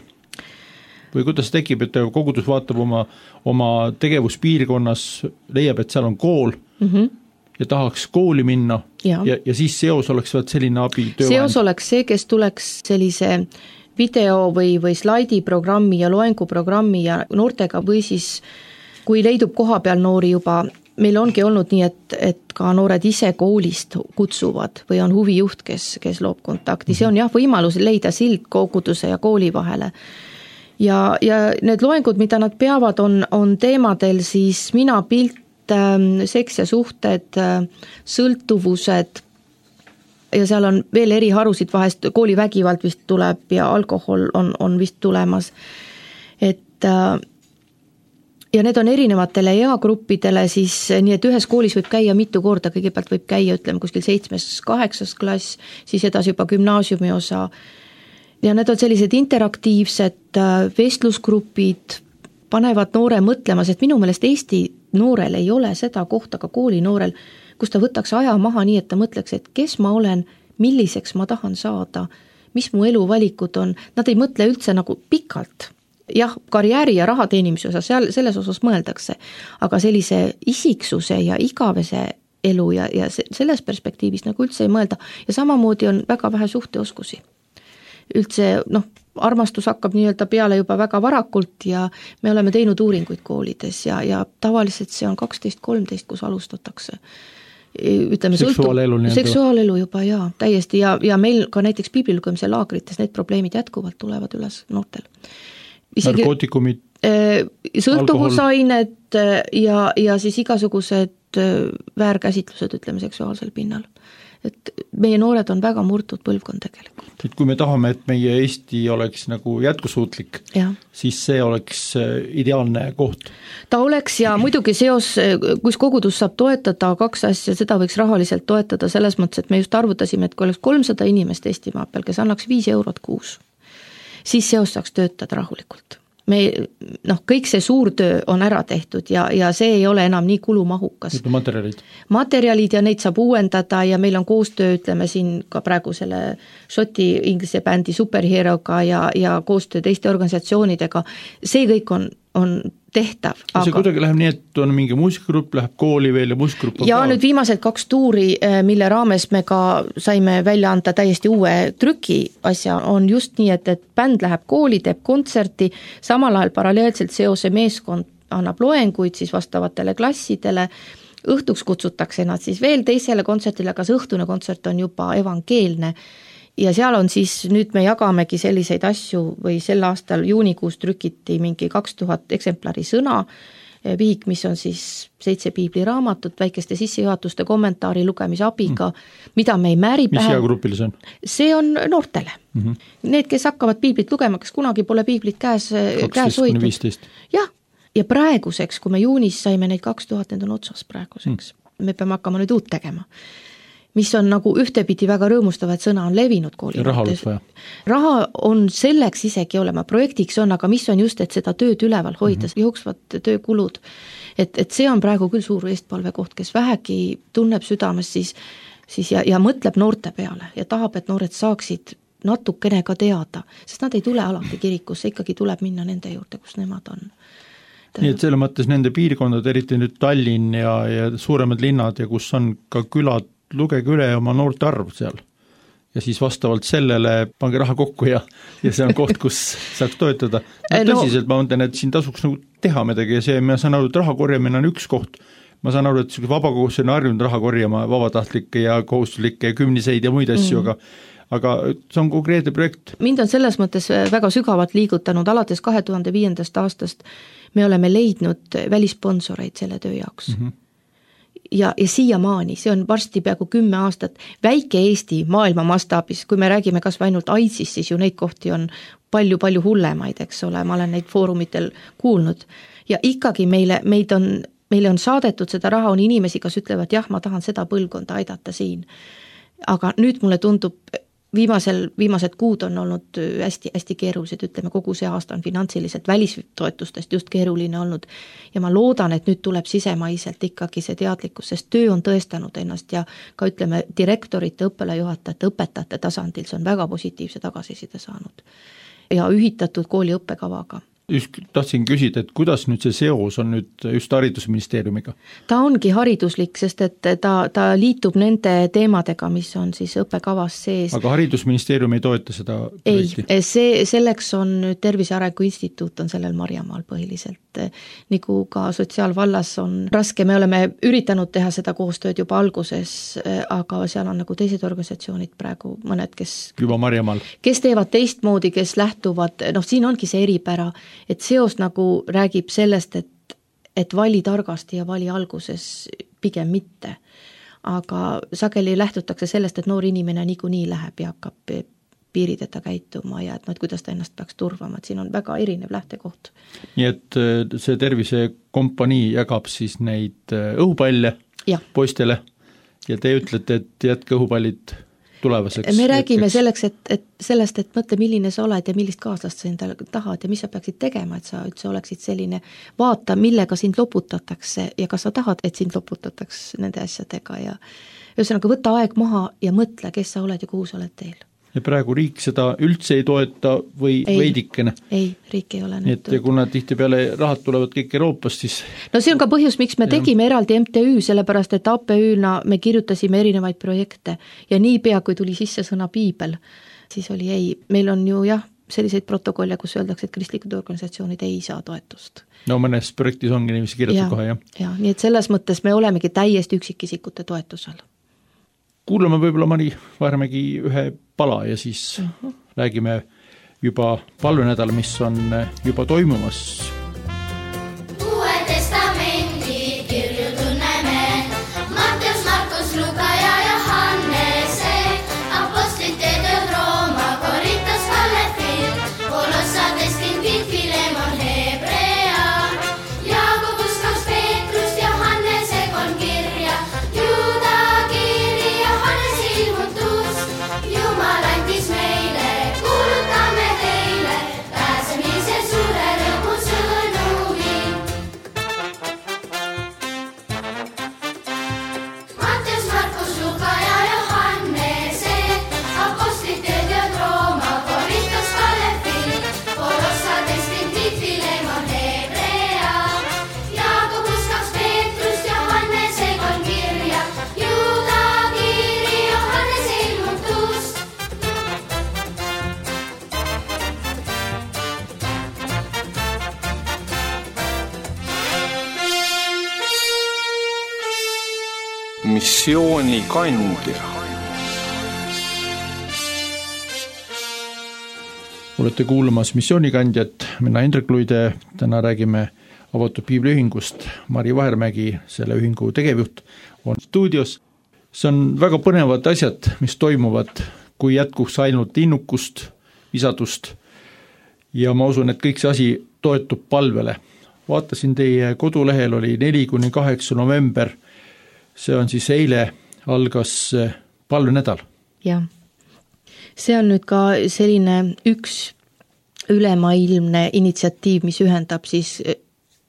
Või kuidas tekib, et kogudus vaatab oma tegevuspiirkonnas, leiab, et seal on kool ja tahaks kooli minna ja siis seos oleks selline abi töövahend. Seos oleks see, kes tuleks sellise video või slaidiprogrammi ja loenguprogrammi ja noortega või siis kui leidub koha peal noori juba, meil ongi olnud nii, et ka noored ise koolist kutsuvad või on huvijuht, kes loob kontakti. See on jah võimalus leida sild koguduse ja kooli vahele. Ja need loengud, mida nad peavad, on teemadel siis mina, pilt, seks ja suhted, sõltuvused ja seal on veel eri harusid vahest, koolivägivald vist tuleb ja alkohol on vist tulemas. Ja need on erinevatele eagruppidele siis, nii et ühes koolis võib käia mitu korda, kõigepealt võib käia, ütleme, kuskil 7.–8. klass, siis edasi juba gümnaasiumi osa. Ja need on sellised interaktiivsed vestlusgrupid, panevad noore mõtlema, sest minu meelest Eesti noorel ei ole seda kohta, ka kooli noorel, kus ta võtaks aja maha nii, et ta mõtleks, et kes ma olen, milliseks ma tahan saada, mis mu eluvalikud on, nad ei mõtle üldse nagu pikalt. Jah, karjääri ja raha teenimise osa, selles osas mõeldakse, aga sellise isiksuse ja igavese elu ja selles perspektiivis nagu üldse ei mõelda ja samamoodi on väga vähe suhteoskusi. Üldse, armastus hakkab nii-öelda peale juba väga varakult ja me oleme teinud uuringuid koolides ja tavaliselt see on 12-13, kus alustatakse. Ütleme, seksuaalelu juba, jaa, täiesti ja meil ka näiteks piiblilugemise laagrites need probleemid jätkuvalt tulevad üles noortel. Narkootikumid, sõltuvusained ja siis igasugused väärkäsitlused, ütleme, seksuaalsel pinnal. Et meie noored on väga murtud põlvkond tegelikult. Et kui me tahame, et meie Eesti oleks nagu jätkusuutlik, siis see oleks ideaalne koht. Ta oleks ja muidugi seos, kus kogudus saab toetada 2 asja, seda võiks rahaliselt toetada selles mõttes, et me just arvutasime, et kui oleks 300 inimest Eestimaa peal, kes annaks 5 eurot kuus, siis seos saaks töötada rahulikult. Kõik see suur töö on ära tehtud ja see ei ole enam nii kulumahukas. Materjalid ja neid saab uuendada ja meil on koostöö, ütleme siin ka praegu selle Šoti inglise bändi Superheroga ja koostöö teiste organisatsioonidega. See kõik on tehtav. See kuidagi läheb nii, et on mingi muusikagrupp, läheb kooli veel ja muusikagrupp ja nüüd viimased 2 tuuri, mille raames me ka saime välja anda täiesti uue trüki asja, on just nii, et bänd läheb kooli, teeb kontserti, samal ajal paralleelselt seose meeskond annab loenguid siis vastavatele klassidele, õhtuks kutsutakse nad siis veel teisele kontsertile, aga see õhtune kontsert on juba evangeelne. Ja seal on siis, nüüd me jagamegi selliseid asju või sel aastal juunikuus trükiti mingi 2000 eksemplari sõna, vihik, mis on siis 7 piibliraamatut, väikeste sissejuhatuste kommentaari lugemisabiga, mida me ei määri pähe. Mis eagrupil see on? See on noortele. Need, kes hakkavad piiblit lugema, kes kunagi pole piiblit käes hoidnud. 12-15. Jah, ja praeguseks, kui me juunis saime neid 2000, need on otsas praeguseks. Me peame hakkama nüüd uut tegema. Mis on nagu ühtepidi väga rõõmustava, et sõna on levinud kooli. Raha on selleks isegi olema, projektiks on, aga mis on just, et seda tööd üleval hoida, jooksvad töökulud. Et see on praegu küll suur eestpalvekoht, kes vähegi tunneb südames siis ja mõtleb noorte peale ja tahab, et noored saaksid natukene ka teada, sest nad ei tule alati kirikusse, ikkagi tuleb minna nende juurde, kus nemad on. Nii et selle mõttes nende piirkondad, eriti nüüd Tallinn ja suuremad linnad ja kus on ka külad, lugege üle oma noorte arv seal ja siis vastavalt sellele pange raha kokku ja see on koht, kus saaks toetada. Tõsiselt ma mõtlen, et siin tasuks nagu teha midagi ja see, ma saan aru, et raha korjamine on üks koht. Ma saan aru, et vabakogus on harjunud raha korjama vabatahtlikke ja kohustuslikke kümniseid ja muid asju, aga see on konkreetne projekt. Mind on selles mõttes väga sügavalt liigutanud, alates 2005. aastast me oleme leidnud välisponsoreid selle töö jaoks. Ja siiamaani, see on varsti peaaegu 10 aastat, väike Eesti maailma mastaabis, kui me räägime kas või ainult AIDSist, siis ju neid kohti on palju hullemaid, eks ole, ma olen neid foorumitel kuulnud ja ikkagi meile on saadetud seda raha, on inimesi, kes ütlevad, jah, ma tahan seda põlvkonda aidata siin, aga nüüd mulle tundub, viimased kuud on olnud hästi keerulised, ütleme, kogu see aasta on finantsiliselt välistoetustest just keeruline olnud ja ma loodan, et nüüd tuleb sisemaiselt ikkagi see teadlikkus, sest töö on tõestanud ennast ja ka ütleme direktorite, õppealajuhatajate, õpetajate tasandil, see on väga positiivse tagasiside saanud ja ühitatud kooli õppekavaga. just tahtsin küsida, et kuidas nüüd see seos on nüüd just haridusministeeriumiga? Ta ongi hariduslik, sest et ta liitub nende teemadega, mis on siis õppekavas sees. Aga haridusministeerium ei toeta seda projekti? Ei, selleks on nüüd Tervise Arengu Instituut on sellel Marjamaal põhiliselt. Nagu ka sotsiaalvallas on raske, me oleme üritanud teha seda koostööd juba alguses, aga seal on nagu teised organisatsioonid praegu, mõned, juba Marjamaal. Kes teevad teistmoodi, kes lähtuvad, siin ongi see eripära, et seos nagu räägib sellest, et vali targasti ja vali alguses pigem mitte. Aga sageli lähtutakse sellest, et noor inimene niikuinii läheb ja hakkab piirideta käituma ja et kuidas ta ennast peaks turvama, et siin on väga erinev lähtekoht. Nii et see tervisekompanii jagab siis neid õhupalle poistele ja te ütlete, et jätke õhupallid tulevaseks. Me räägime sellest, et mõtle, milline sa oled ja millist kaaslast sa endale tahad ja mis sa peaksid tegema, et sa üldse oleksid selline, vaata, millega sind loputatakse ja kas sa tahad, et sind loputatakse nende asjadega ja ühesõnaga võta aeg maha ja mõtle, kes sa oled ja kuhu sa oled teel. Ja praegu riik seda üldse ei toeta või veidikene? Ei, riik ei ole nii et ja kuna tihtipeale rahad tulevad kõik Euroopast, siis... No see on ka põhjus, miks me tegime eraldi MTÜ, sellepärast et APÜ-na me kirjutasime erinevaid projekte ja niipea, kui tuli sisse sõna piibel, siis oli ei. Meil on ju selliseid protokolle, kus öeldakse, et kristlikud organisatsioonid ei saa toetust. No mõnes projektis ongi niiviisi kirjutatud kohe, jah? Ja, nii et selles mõttes me olemegi täiesti üksikisikute toetusel. Kuulame võib-olla Mari Vahermägi ühe pala ja siis räägime juba palvenädal, mis on juba toimumas. Uue testamendi kirju tunneme Matteus, Markus, Luka ja Johannese, apostlite tööd Rooma, Korintos, Kalefil, Kolossates, Kinvit, Filemon, Hebrea, Jaakobus, kaks Peetrust, Johannese, kolm kirja, Juuda kiri, Johannese ilmutus, Jumal andis meile, kuulutame teile, pääsemise suure rõõmu sõnumi. Matteus, Markus, Luka ja Johannese, apostlite tööd Rooma, Korintos, Kalefil, Kolossates, Kinvit, Filemon, Hebrea, Jaakobus, kaks Peetrust, Johannese, kolm kirja, Juuda kiri, Johannese ilmutus. Missioonikandja. Olete kuulamas Missioonikandjat, mina Hendrik Luide, täna räägime avatud piibliühingust. Mari Vahermägi, selle ühingu tegevjuht, on stuudios. See on väga põnevad asjad, mis toimuvad, kui jätkuks ainult innukust, visadust ja ma usun, et kõik see asi toetub palvele. Vaatasin teie kodulehel oli 4-8 november, see on siis eile algas palvenädal. Jah, see on nüüd ka selline üks ülemaailmne initsiatiiv, mis ühendab siis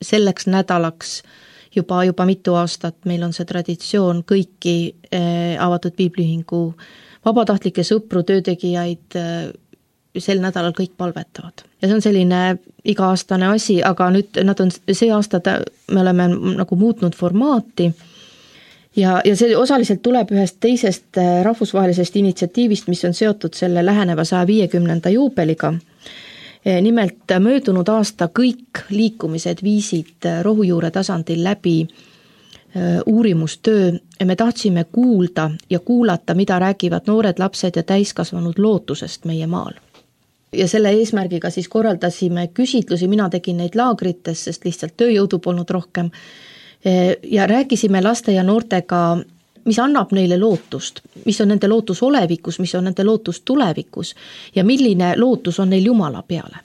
selleks nädalaks juba mitu aastat. Meil on see traditsioon kõiki avatud piibliühingu vabatahtlikke sõpru, töötegijaid sel nädalal kõik palvetavad. Ja see on selline iga-aastane asi, aga nüüd see aasta me oleme nagu muutnud formaati ja see osaliselt tuleb ühest teisest rahvusvahelisest initsiatiivist, mis on seotud selle läheneva 150. juubeliga. Nimelt möödunud aasta kõik liikumised viisid rohujuure tasandil läbi uurimustöö ja me tahtsime kuulda ja kuulata, mida räägivad noored lapsed ja täiskasvanud lootusest meie maal. Ja selle eesmärgiga siis korraldasime küsitlusi, mina tegin neid laagrites, sest lihtsalt tööjõudu polnud rohkem ja rääkisime laste ja noortega, mis annab neile lootust, mis on nende lootus olevikus, mis on nende lootus tulevikus ja milline lootus on neil Jumala peale.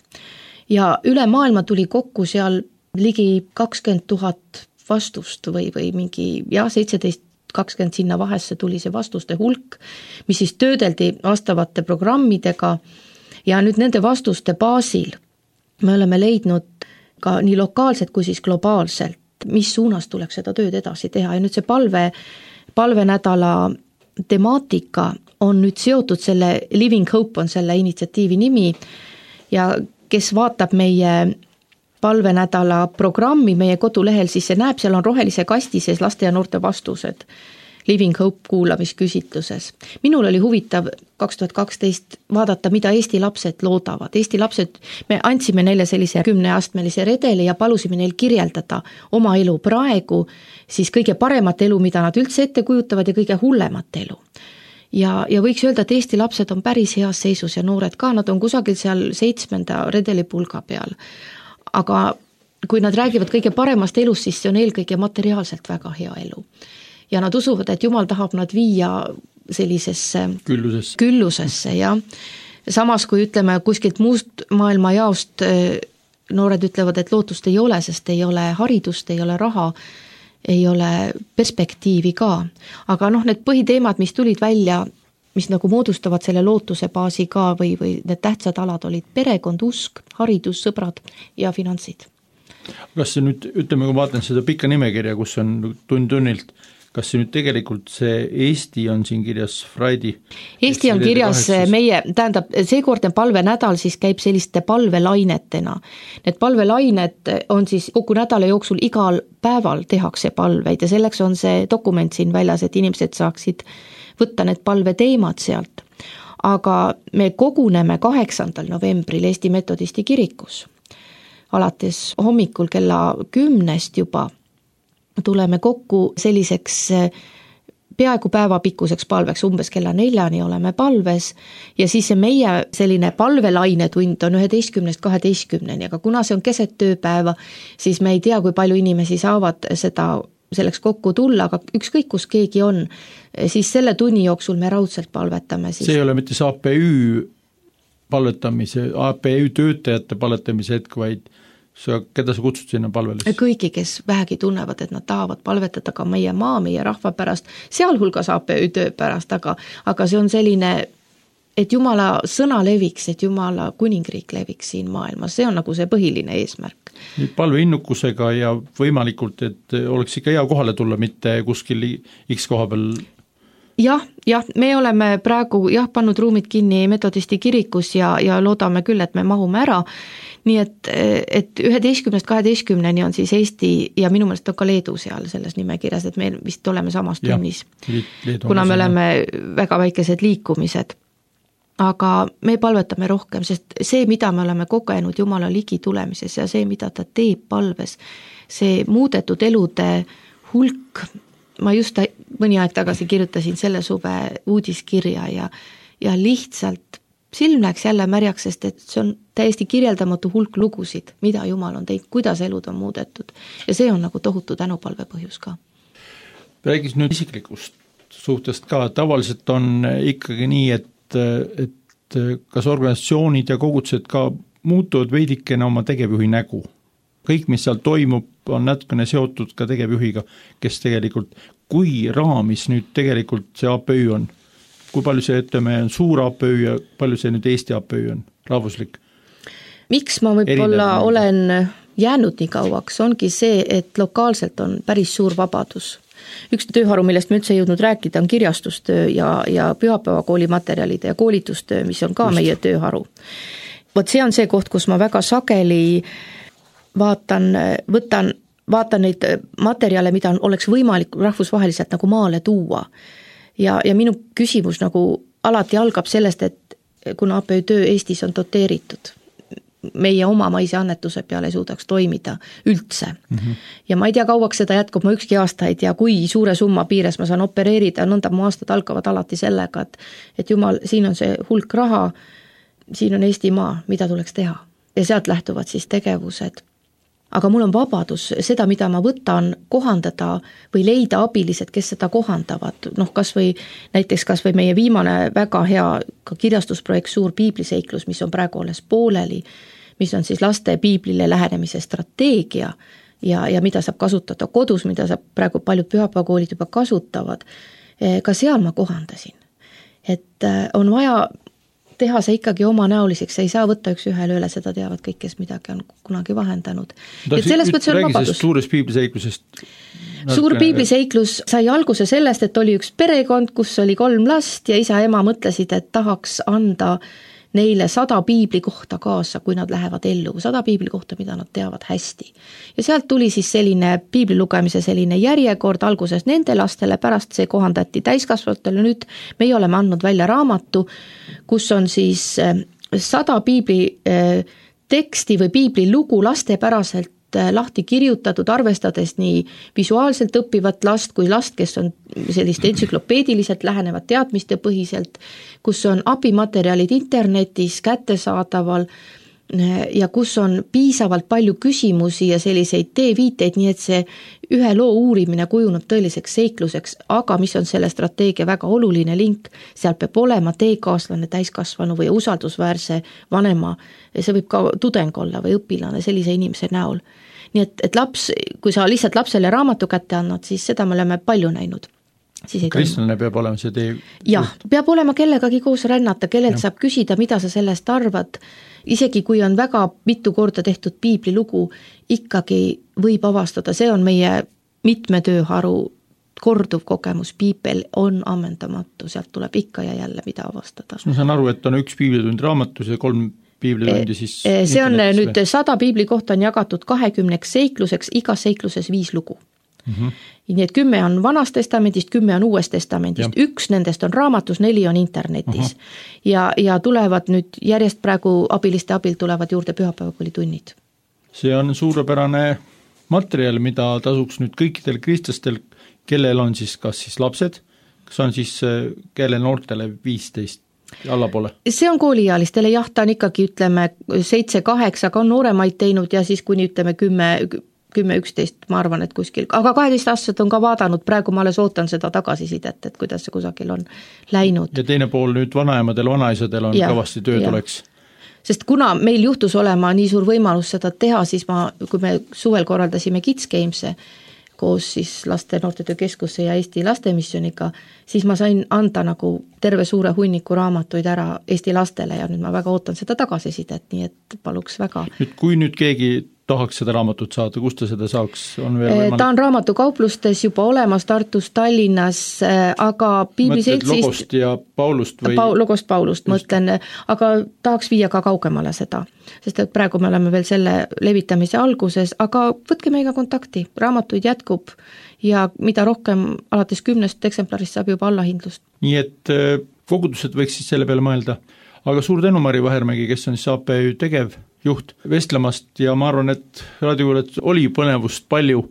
Ja üle maailma tuli kokku seal ligi 20 000 vastust või mingi 17-20 sinna vahesse tuli see vastuste hulk, mis siis töödeldi vastavate programmidega ja nüüd nende vastuste baasil me oleme leidnud ka nii lokaalselt kui siis globaalselt, mis suunas tuleks seda tööd edasi teha ja nüüd see palvenädala temaatika on nüüd seotud selle Living Hope on selle initsiatiivi nimi ja kes vaatab meie palvenädala programmi meie kodulehel, siis see näeb, seal on rohelise kasti sees laste ja noorte vastused Living Hope kuulamisküsitluses. Minul oli huvitav 2012 vaadata, mida Eesti lapsed loodavad. Eesti lapsed, me andsime neile sellise 10-astmelise redeli ja palusime neil kirjeldada oma elu praegu, siis kõige paremat elu, mida nad üldse ette kujutavad ja kõige hullemat elu. Ja võiks öelda, et Eesti lapsed on päris heas seisus ja noored ka, nad on kusagil seal 7. redelipulga peal. Aga kui nad räägivad kõige paremast elust, siis see on eelkõige materiaalselt väga hea elu. Ja nad usuvad, et Jumal tahab nad viia sellisesse küllusesse ja samas kui ütleme kuskilt muust maailma jaost noored ütlevad, et lootust ei ole, sest ei ole haridust, ei ole raha, ei ole perspektiivi ka. Aga need põhiteemad, mis tulid välja, mis nagu moodustavad selle lootuse baasi ka või need tähtsad alad olid perekond, usk, haridus, sõbrad ja finantsid. Kas see nüüd, ütleme, kui vaatan seda pikka nimekirja, kus on tund-tunnilt, kas see nüüd tegelikult see Eesti on siin kirjas Friday? Eesti on kirjas meie, tähendab, seekordne palvenädal siis käib selliste palvelainetena. Need palvelainet on siis kogu nädala jooksul igal päeval tehakse palveid ja selleks on see dokument siin väljas, et inimesed saaksid võtta need palveteemad sealt. Aga me koguneme 8. novembril Eesti Metodisti kirikus. Alates hommikul kella 10 juba tuleme kokku selliseks peaaegu päevapikkuseks palveks, umbes kella 4 oleme palves ja siis see meie selline palvelainetund on 11-12, aga kuna see on keset tööpäeva, siis me ei tea, kui palju inimesi saavad selleks kokku tulla, aga ükskõik kus keegi on, siis selle tunni jooksul me raudselt palvetame. Siis. See ei ole mitte see APÜ palvetamise, APÜ töötajate palvetamise hetk, vaid keda sa kutsud sinna palvele? Kõigi, kes vähegi tunnevad, et nad tahavad palvetada ka meie maa, meie rahva pärast, sealhulgas APÜ töö pärast, aga see on selline, et Jumala sõna leviks, et Jumala kuningriik leviks siin maailmas, see on nagu see põhiline eesmärk. Nüüd palveinnukusega ja võimalikult, et oleks ikka hea kohale tulla, mitte kuskil X koha peal. Jah, me oleme praegu pannud ruumid kinni Metodisti kirikus ja loodame küll, et me mahume ära. Nii et 11-12 on siis Eesti ja minu meelest on ka Leedu seal selles nimekirjas, et me vist oleme samas tunnis, kuna me oleme väga väikesed liikumised. Aga me palvetame rohkem, sest see, mida me oleme kogenud Jumala ligi tulemises ja see, mida ta teeb palves, see muudetud elude hulk, ma just mõni aeg tagasi kirjutasin selle suve uudiskirja ja lihtsalt silm läks jälle märjaks, sest et see on täiesti kirjeldamatu hulk lugusid, mida Jumal on teinud, kuidas elud on muudetud. Ja see on nagu tohutu tänupalve põhjus ka. Räägis nüüd isiklikust suhtest ka, tavaliselt on ikkagi nii, et kas organisatsioonid ja kogudused ka muutuvad veidikene oma tegevjuhi nägu. Kõik, mis seal toimub, on natukene seotud ka tegevjuhiga, kes tegelikult, kui raamis nüüd tegelikult see APÜ on, kui palju see, ütleme, on suur APÜ ja palju see nüüd Eesti APÜ on, rahvuslik? Miks ma võib-olla olen jäänud nii kauaks, ongi see, et lokaalselt on päris suur vabadus. Üks tööharu, millest me üldse ei jõudnud rääkida, on kirjastustöö ja pühapäevakooli materjalide ja koolitustöö, mis on ka meie tööharu. Vot see on see koht, kus ma väga sageli vaatan neid materjale, mida oleks võimalik rahvusvaheliselt nagu maale tuua. Ja minu küsimus nagu alati algab sellest, et kuna APÜ töö Eestis on doteeritud, meie oma maise annetuse peale suudaks toimida üldse. Ja ma ei tea, kauaks seda jätkub, ma ükski aasta ei tea, kui suure summa piires ma saan opereerida, nõnda mu aastad algavad alati sellega, et Jumal, siin on see hulk raha, siin on Eesti maa, mida tuleks teha. Ja sealt lähtuvad siis tegevused. Aga mul on vabadus seda, mida ma võtan, kohandada või leida abilised, kes seda kohandavad. Kas või meie viimane väga hea ka kirjastusprojekt Suur piibliseiklus, mis on praegu alles pooleli, mis on siis laste piiblile lähenemise strateegia ja mida saab kasutada kodus, mida saab praegu paljud pühapäevakoolid juba kasutavad. Ka seal ma kohandasin. Et on vaja teha see ikkagi oma näoliseks, ei saa võtta üks ühele üle, seda teavad kõik, kes midagi on kunagi vahendanud. Et selles mõttes on vabadus. Suurest piibliseiklusest? Suur piibliseiklus sai alguse sellest, et oli üks perekond, kus oli 3 last ja isa ja ema mõtlesid, et tahaks anda neile 100 piibli kohta kaasa, kui nad lähevad ellu, 100 piibli kohta, mida nad teavad hästi. Ja sealt tuli siis selline piibli lugemise selline järjekord alguses nende lastele, pärast see kohandati täiskasvatele, nüüd meie oleme andnud välja raamatu, kus on siis 100 piibli teksti või piibli lugu lastepäraselt lahti kirjutatud, arvestades nii visuaalselt õppivat last kui last, kes on sellist entsüklopeediliselt lähenevad teadmiste põhiselt, kus on abimaterjalid internetis kättesaadaval ja kus on piisavalt palju küsimusi ja selliseid teeviiteid, nii et see ühe loo uurimine kujunub tõeliseks seikluseks, aga mis on selle strateegia väga oluline link, seal peab olema teekaaslane, täiskasvanu või usaldusväärse vanema, see võib ka tudeng olla või õpilane sellise inimese näol. Nii et laps, kui sa lihtsalt lapsele raamatu kätte annad, siis seda me oleme palju näinud. Kristlane peab olema see tee. Jah, peab olema kellegagi koos rännata, kellelt saab küsida, mida sa sellest arvad. Isegi kui on väga mitu korda tehtud piiblilugu, ikkagi võib avastada, see on meie mitme tööharu korduv kogemus, piibel on ammendamatu, sealt tuleb ikka ja jälle mida avastada. Ma saan aru, et on üks piiblitund raamatus ja 3 piiblitundi siis see on nüüd 100 piibli kohta on jagatud 20 seikluseks, igas seikluses 5 lugu. Nii et 10 on Vanas testamendist, 10 on Uues testamendist, üks nendest on raamatus, 4 on internetis. Ja tulevad nüüd järjest praegu abiliste abil tulevad juurde pühapäevakoolitunnid. See on suurepärane materjal, mida tasuks nüüd kõikidel kristlastel, kellel on siis kas siis lapsed, kas on siis kelle noortele 15 allapoole? See on kooliealistele, jah, ta on ikkagi ütleme 7-8, aga on nooremaid teinud ja siis kuni ütleme 10-11, ma arvan, et kuskil, aga 12-aastased on ka vaadanud, praegu ma alles ootan seda tagasisidet, et kuidas see kusagil on läinud. Ja teine pool nüüd vanaemadel, vanaisadel on kõvasti tööd oleks. Sest kuna meil juhtus olema nii suur võimalus seda teha, siis kui me suvel korraldasime Kids Games'e koos siis laste noortetöö keskusse ja Eesti lastemissiooniga, siis ma sain anda nagu terve suure hunniku raamatuid ära Eesti lastele ja nüüd ma väga ootan seda tagasisidet, nii et paluks väga. Kui nüüd keegi tahaks seda raamatut saada, kust ta seda saaks? Ta on raamatukauplustes juba olemas Tartus, Tallinnas, aga piibliseltsist... Mõtled Logost ja Paulust? Logost Paulust mõtlen, aga tahaks viia ka kaugemale seda, sest et praegu me oleme veel selle levitamise alguses, aga võtke meiega kontakti, raamatuid jätkub ja mida rohkem alates 10 eksemplarist saab juba allahindlust. Nii et kogudused võiks siis selle peale mõelda. Aga suur tänu Mari Vahermägi, kes on siis APÜ tegevjuht vestlemast ja ma arvan, et raadiokuulajad oli põnevust palju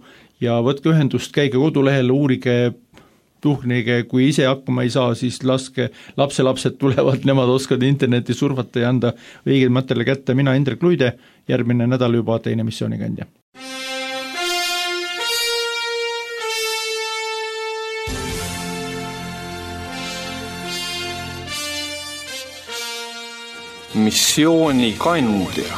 ja võtke ühendust, käige kodulehel, uurige, tuhnige, kui ise hakkama ei saa, siis laske lapselapsed tulevad, nemad oskavad interneti surfata ja anda õigeid materjale kätte. Mina Indrek Luide, järgmine nädal juba teine missioonikandja. Missioonikandja.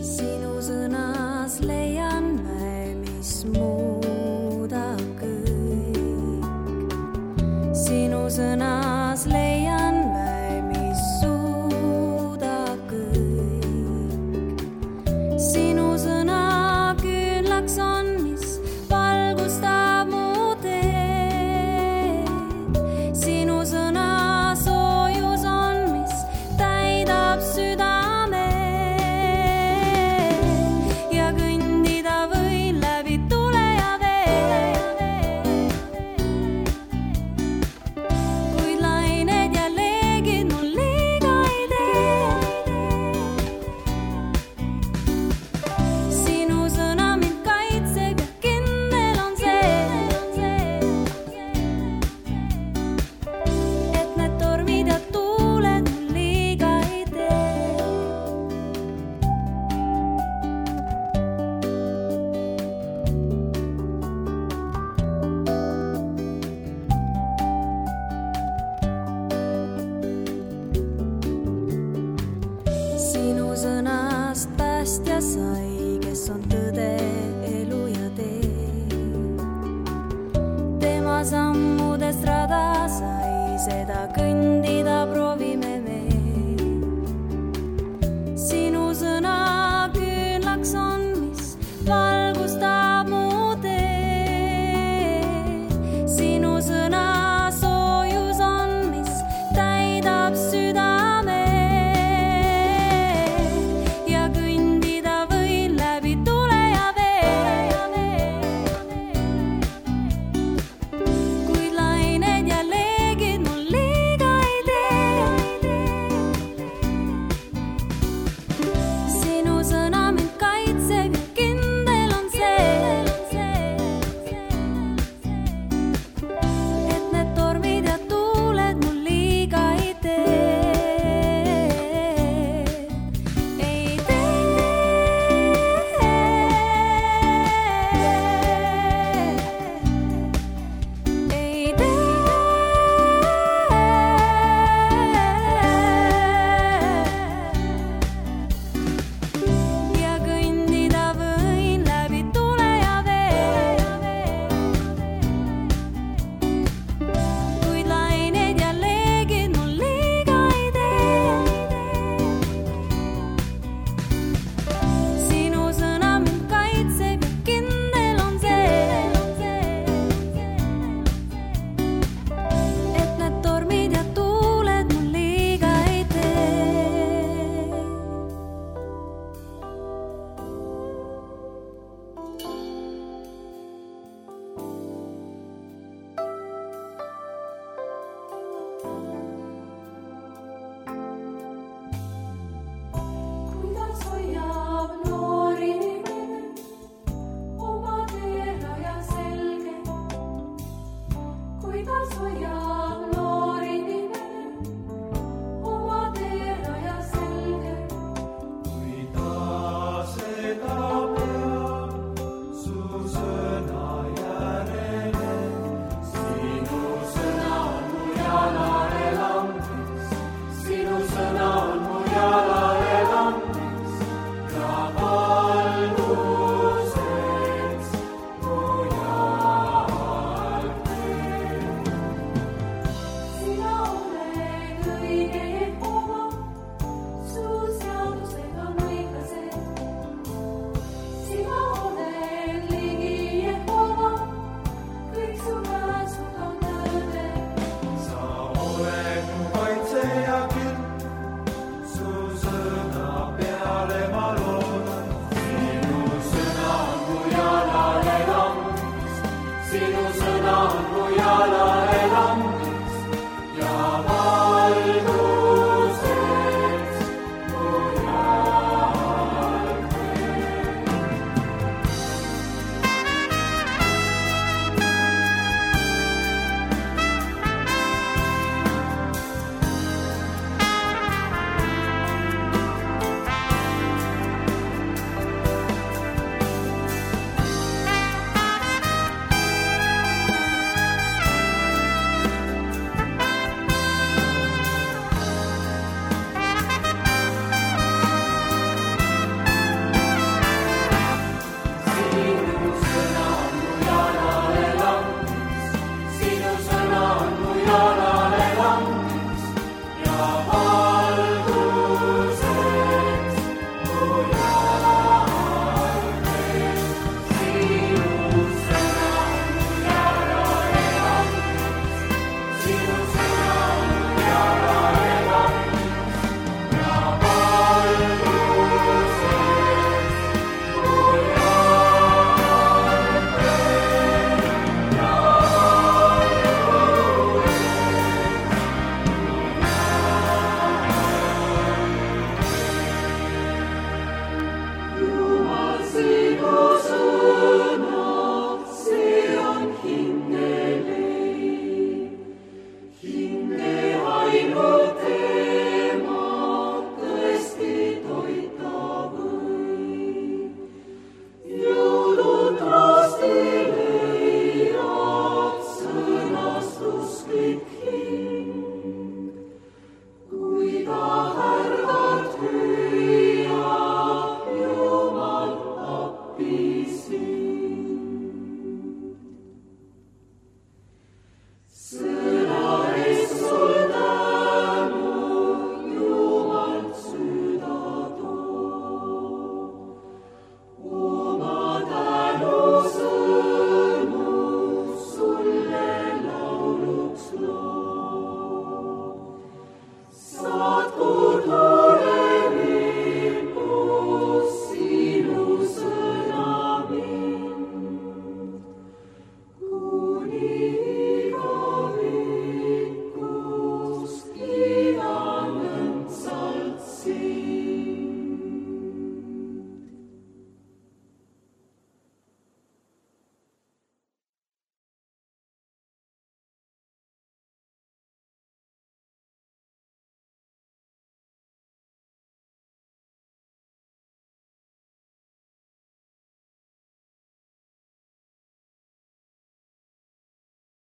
Sinu sõnas leian mä, mis muudab kõik. Sinu sõnas leian mä, mis suudab kõik. Sinu sõna küünlaks on, mis valgustab mu teed. Sinu sõna soojus on, mis täidab südame. Ja kõndida võin läbi tule ja vee. Kuid lained ja leegid mul liiga ei tee. Sinu sõna mind kaitseb ja kindel on see, et need tormid ja tuuled mul liiga ei tee. Sinu sõnast päästja sai, kes on tõde, elu ja tee. Tema sammudest rada sai, seda kõndida proovime me. Sinu õnneks on, mis valgustab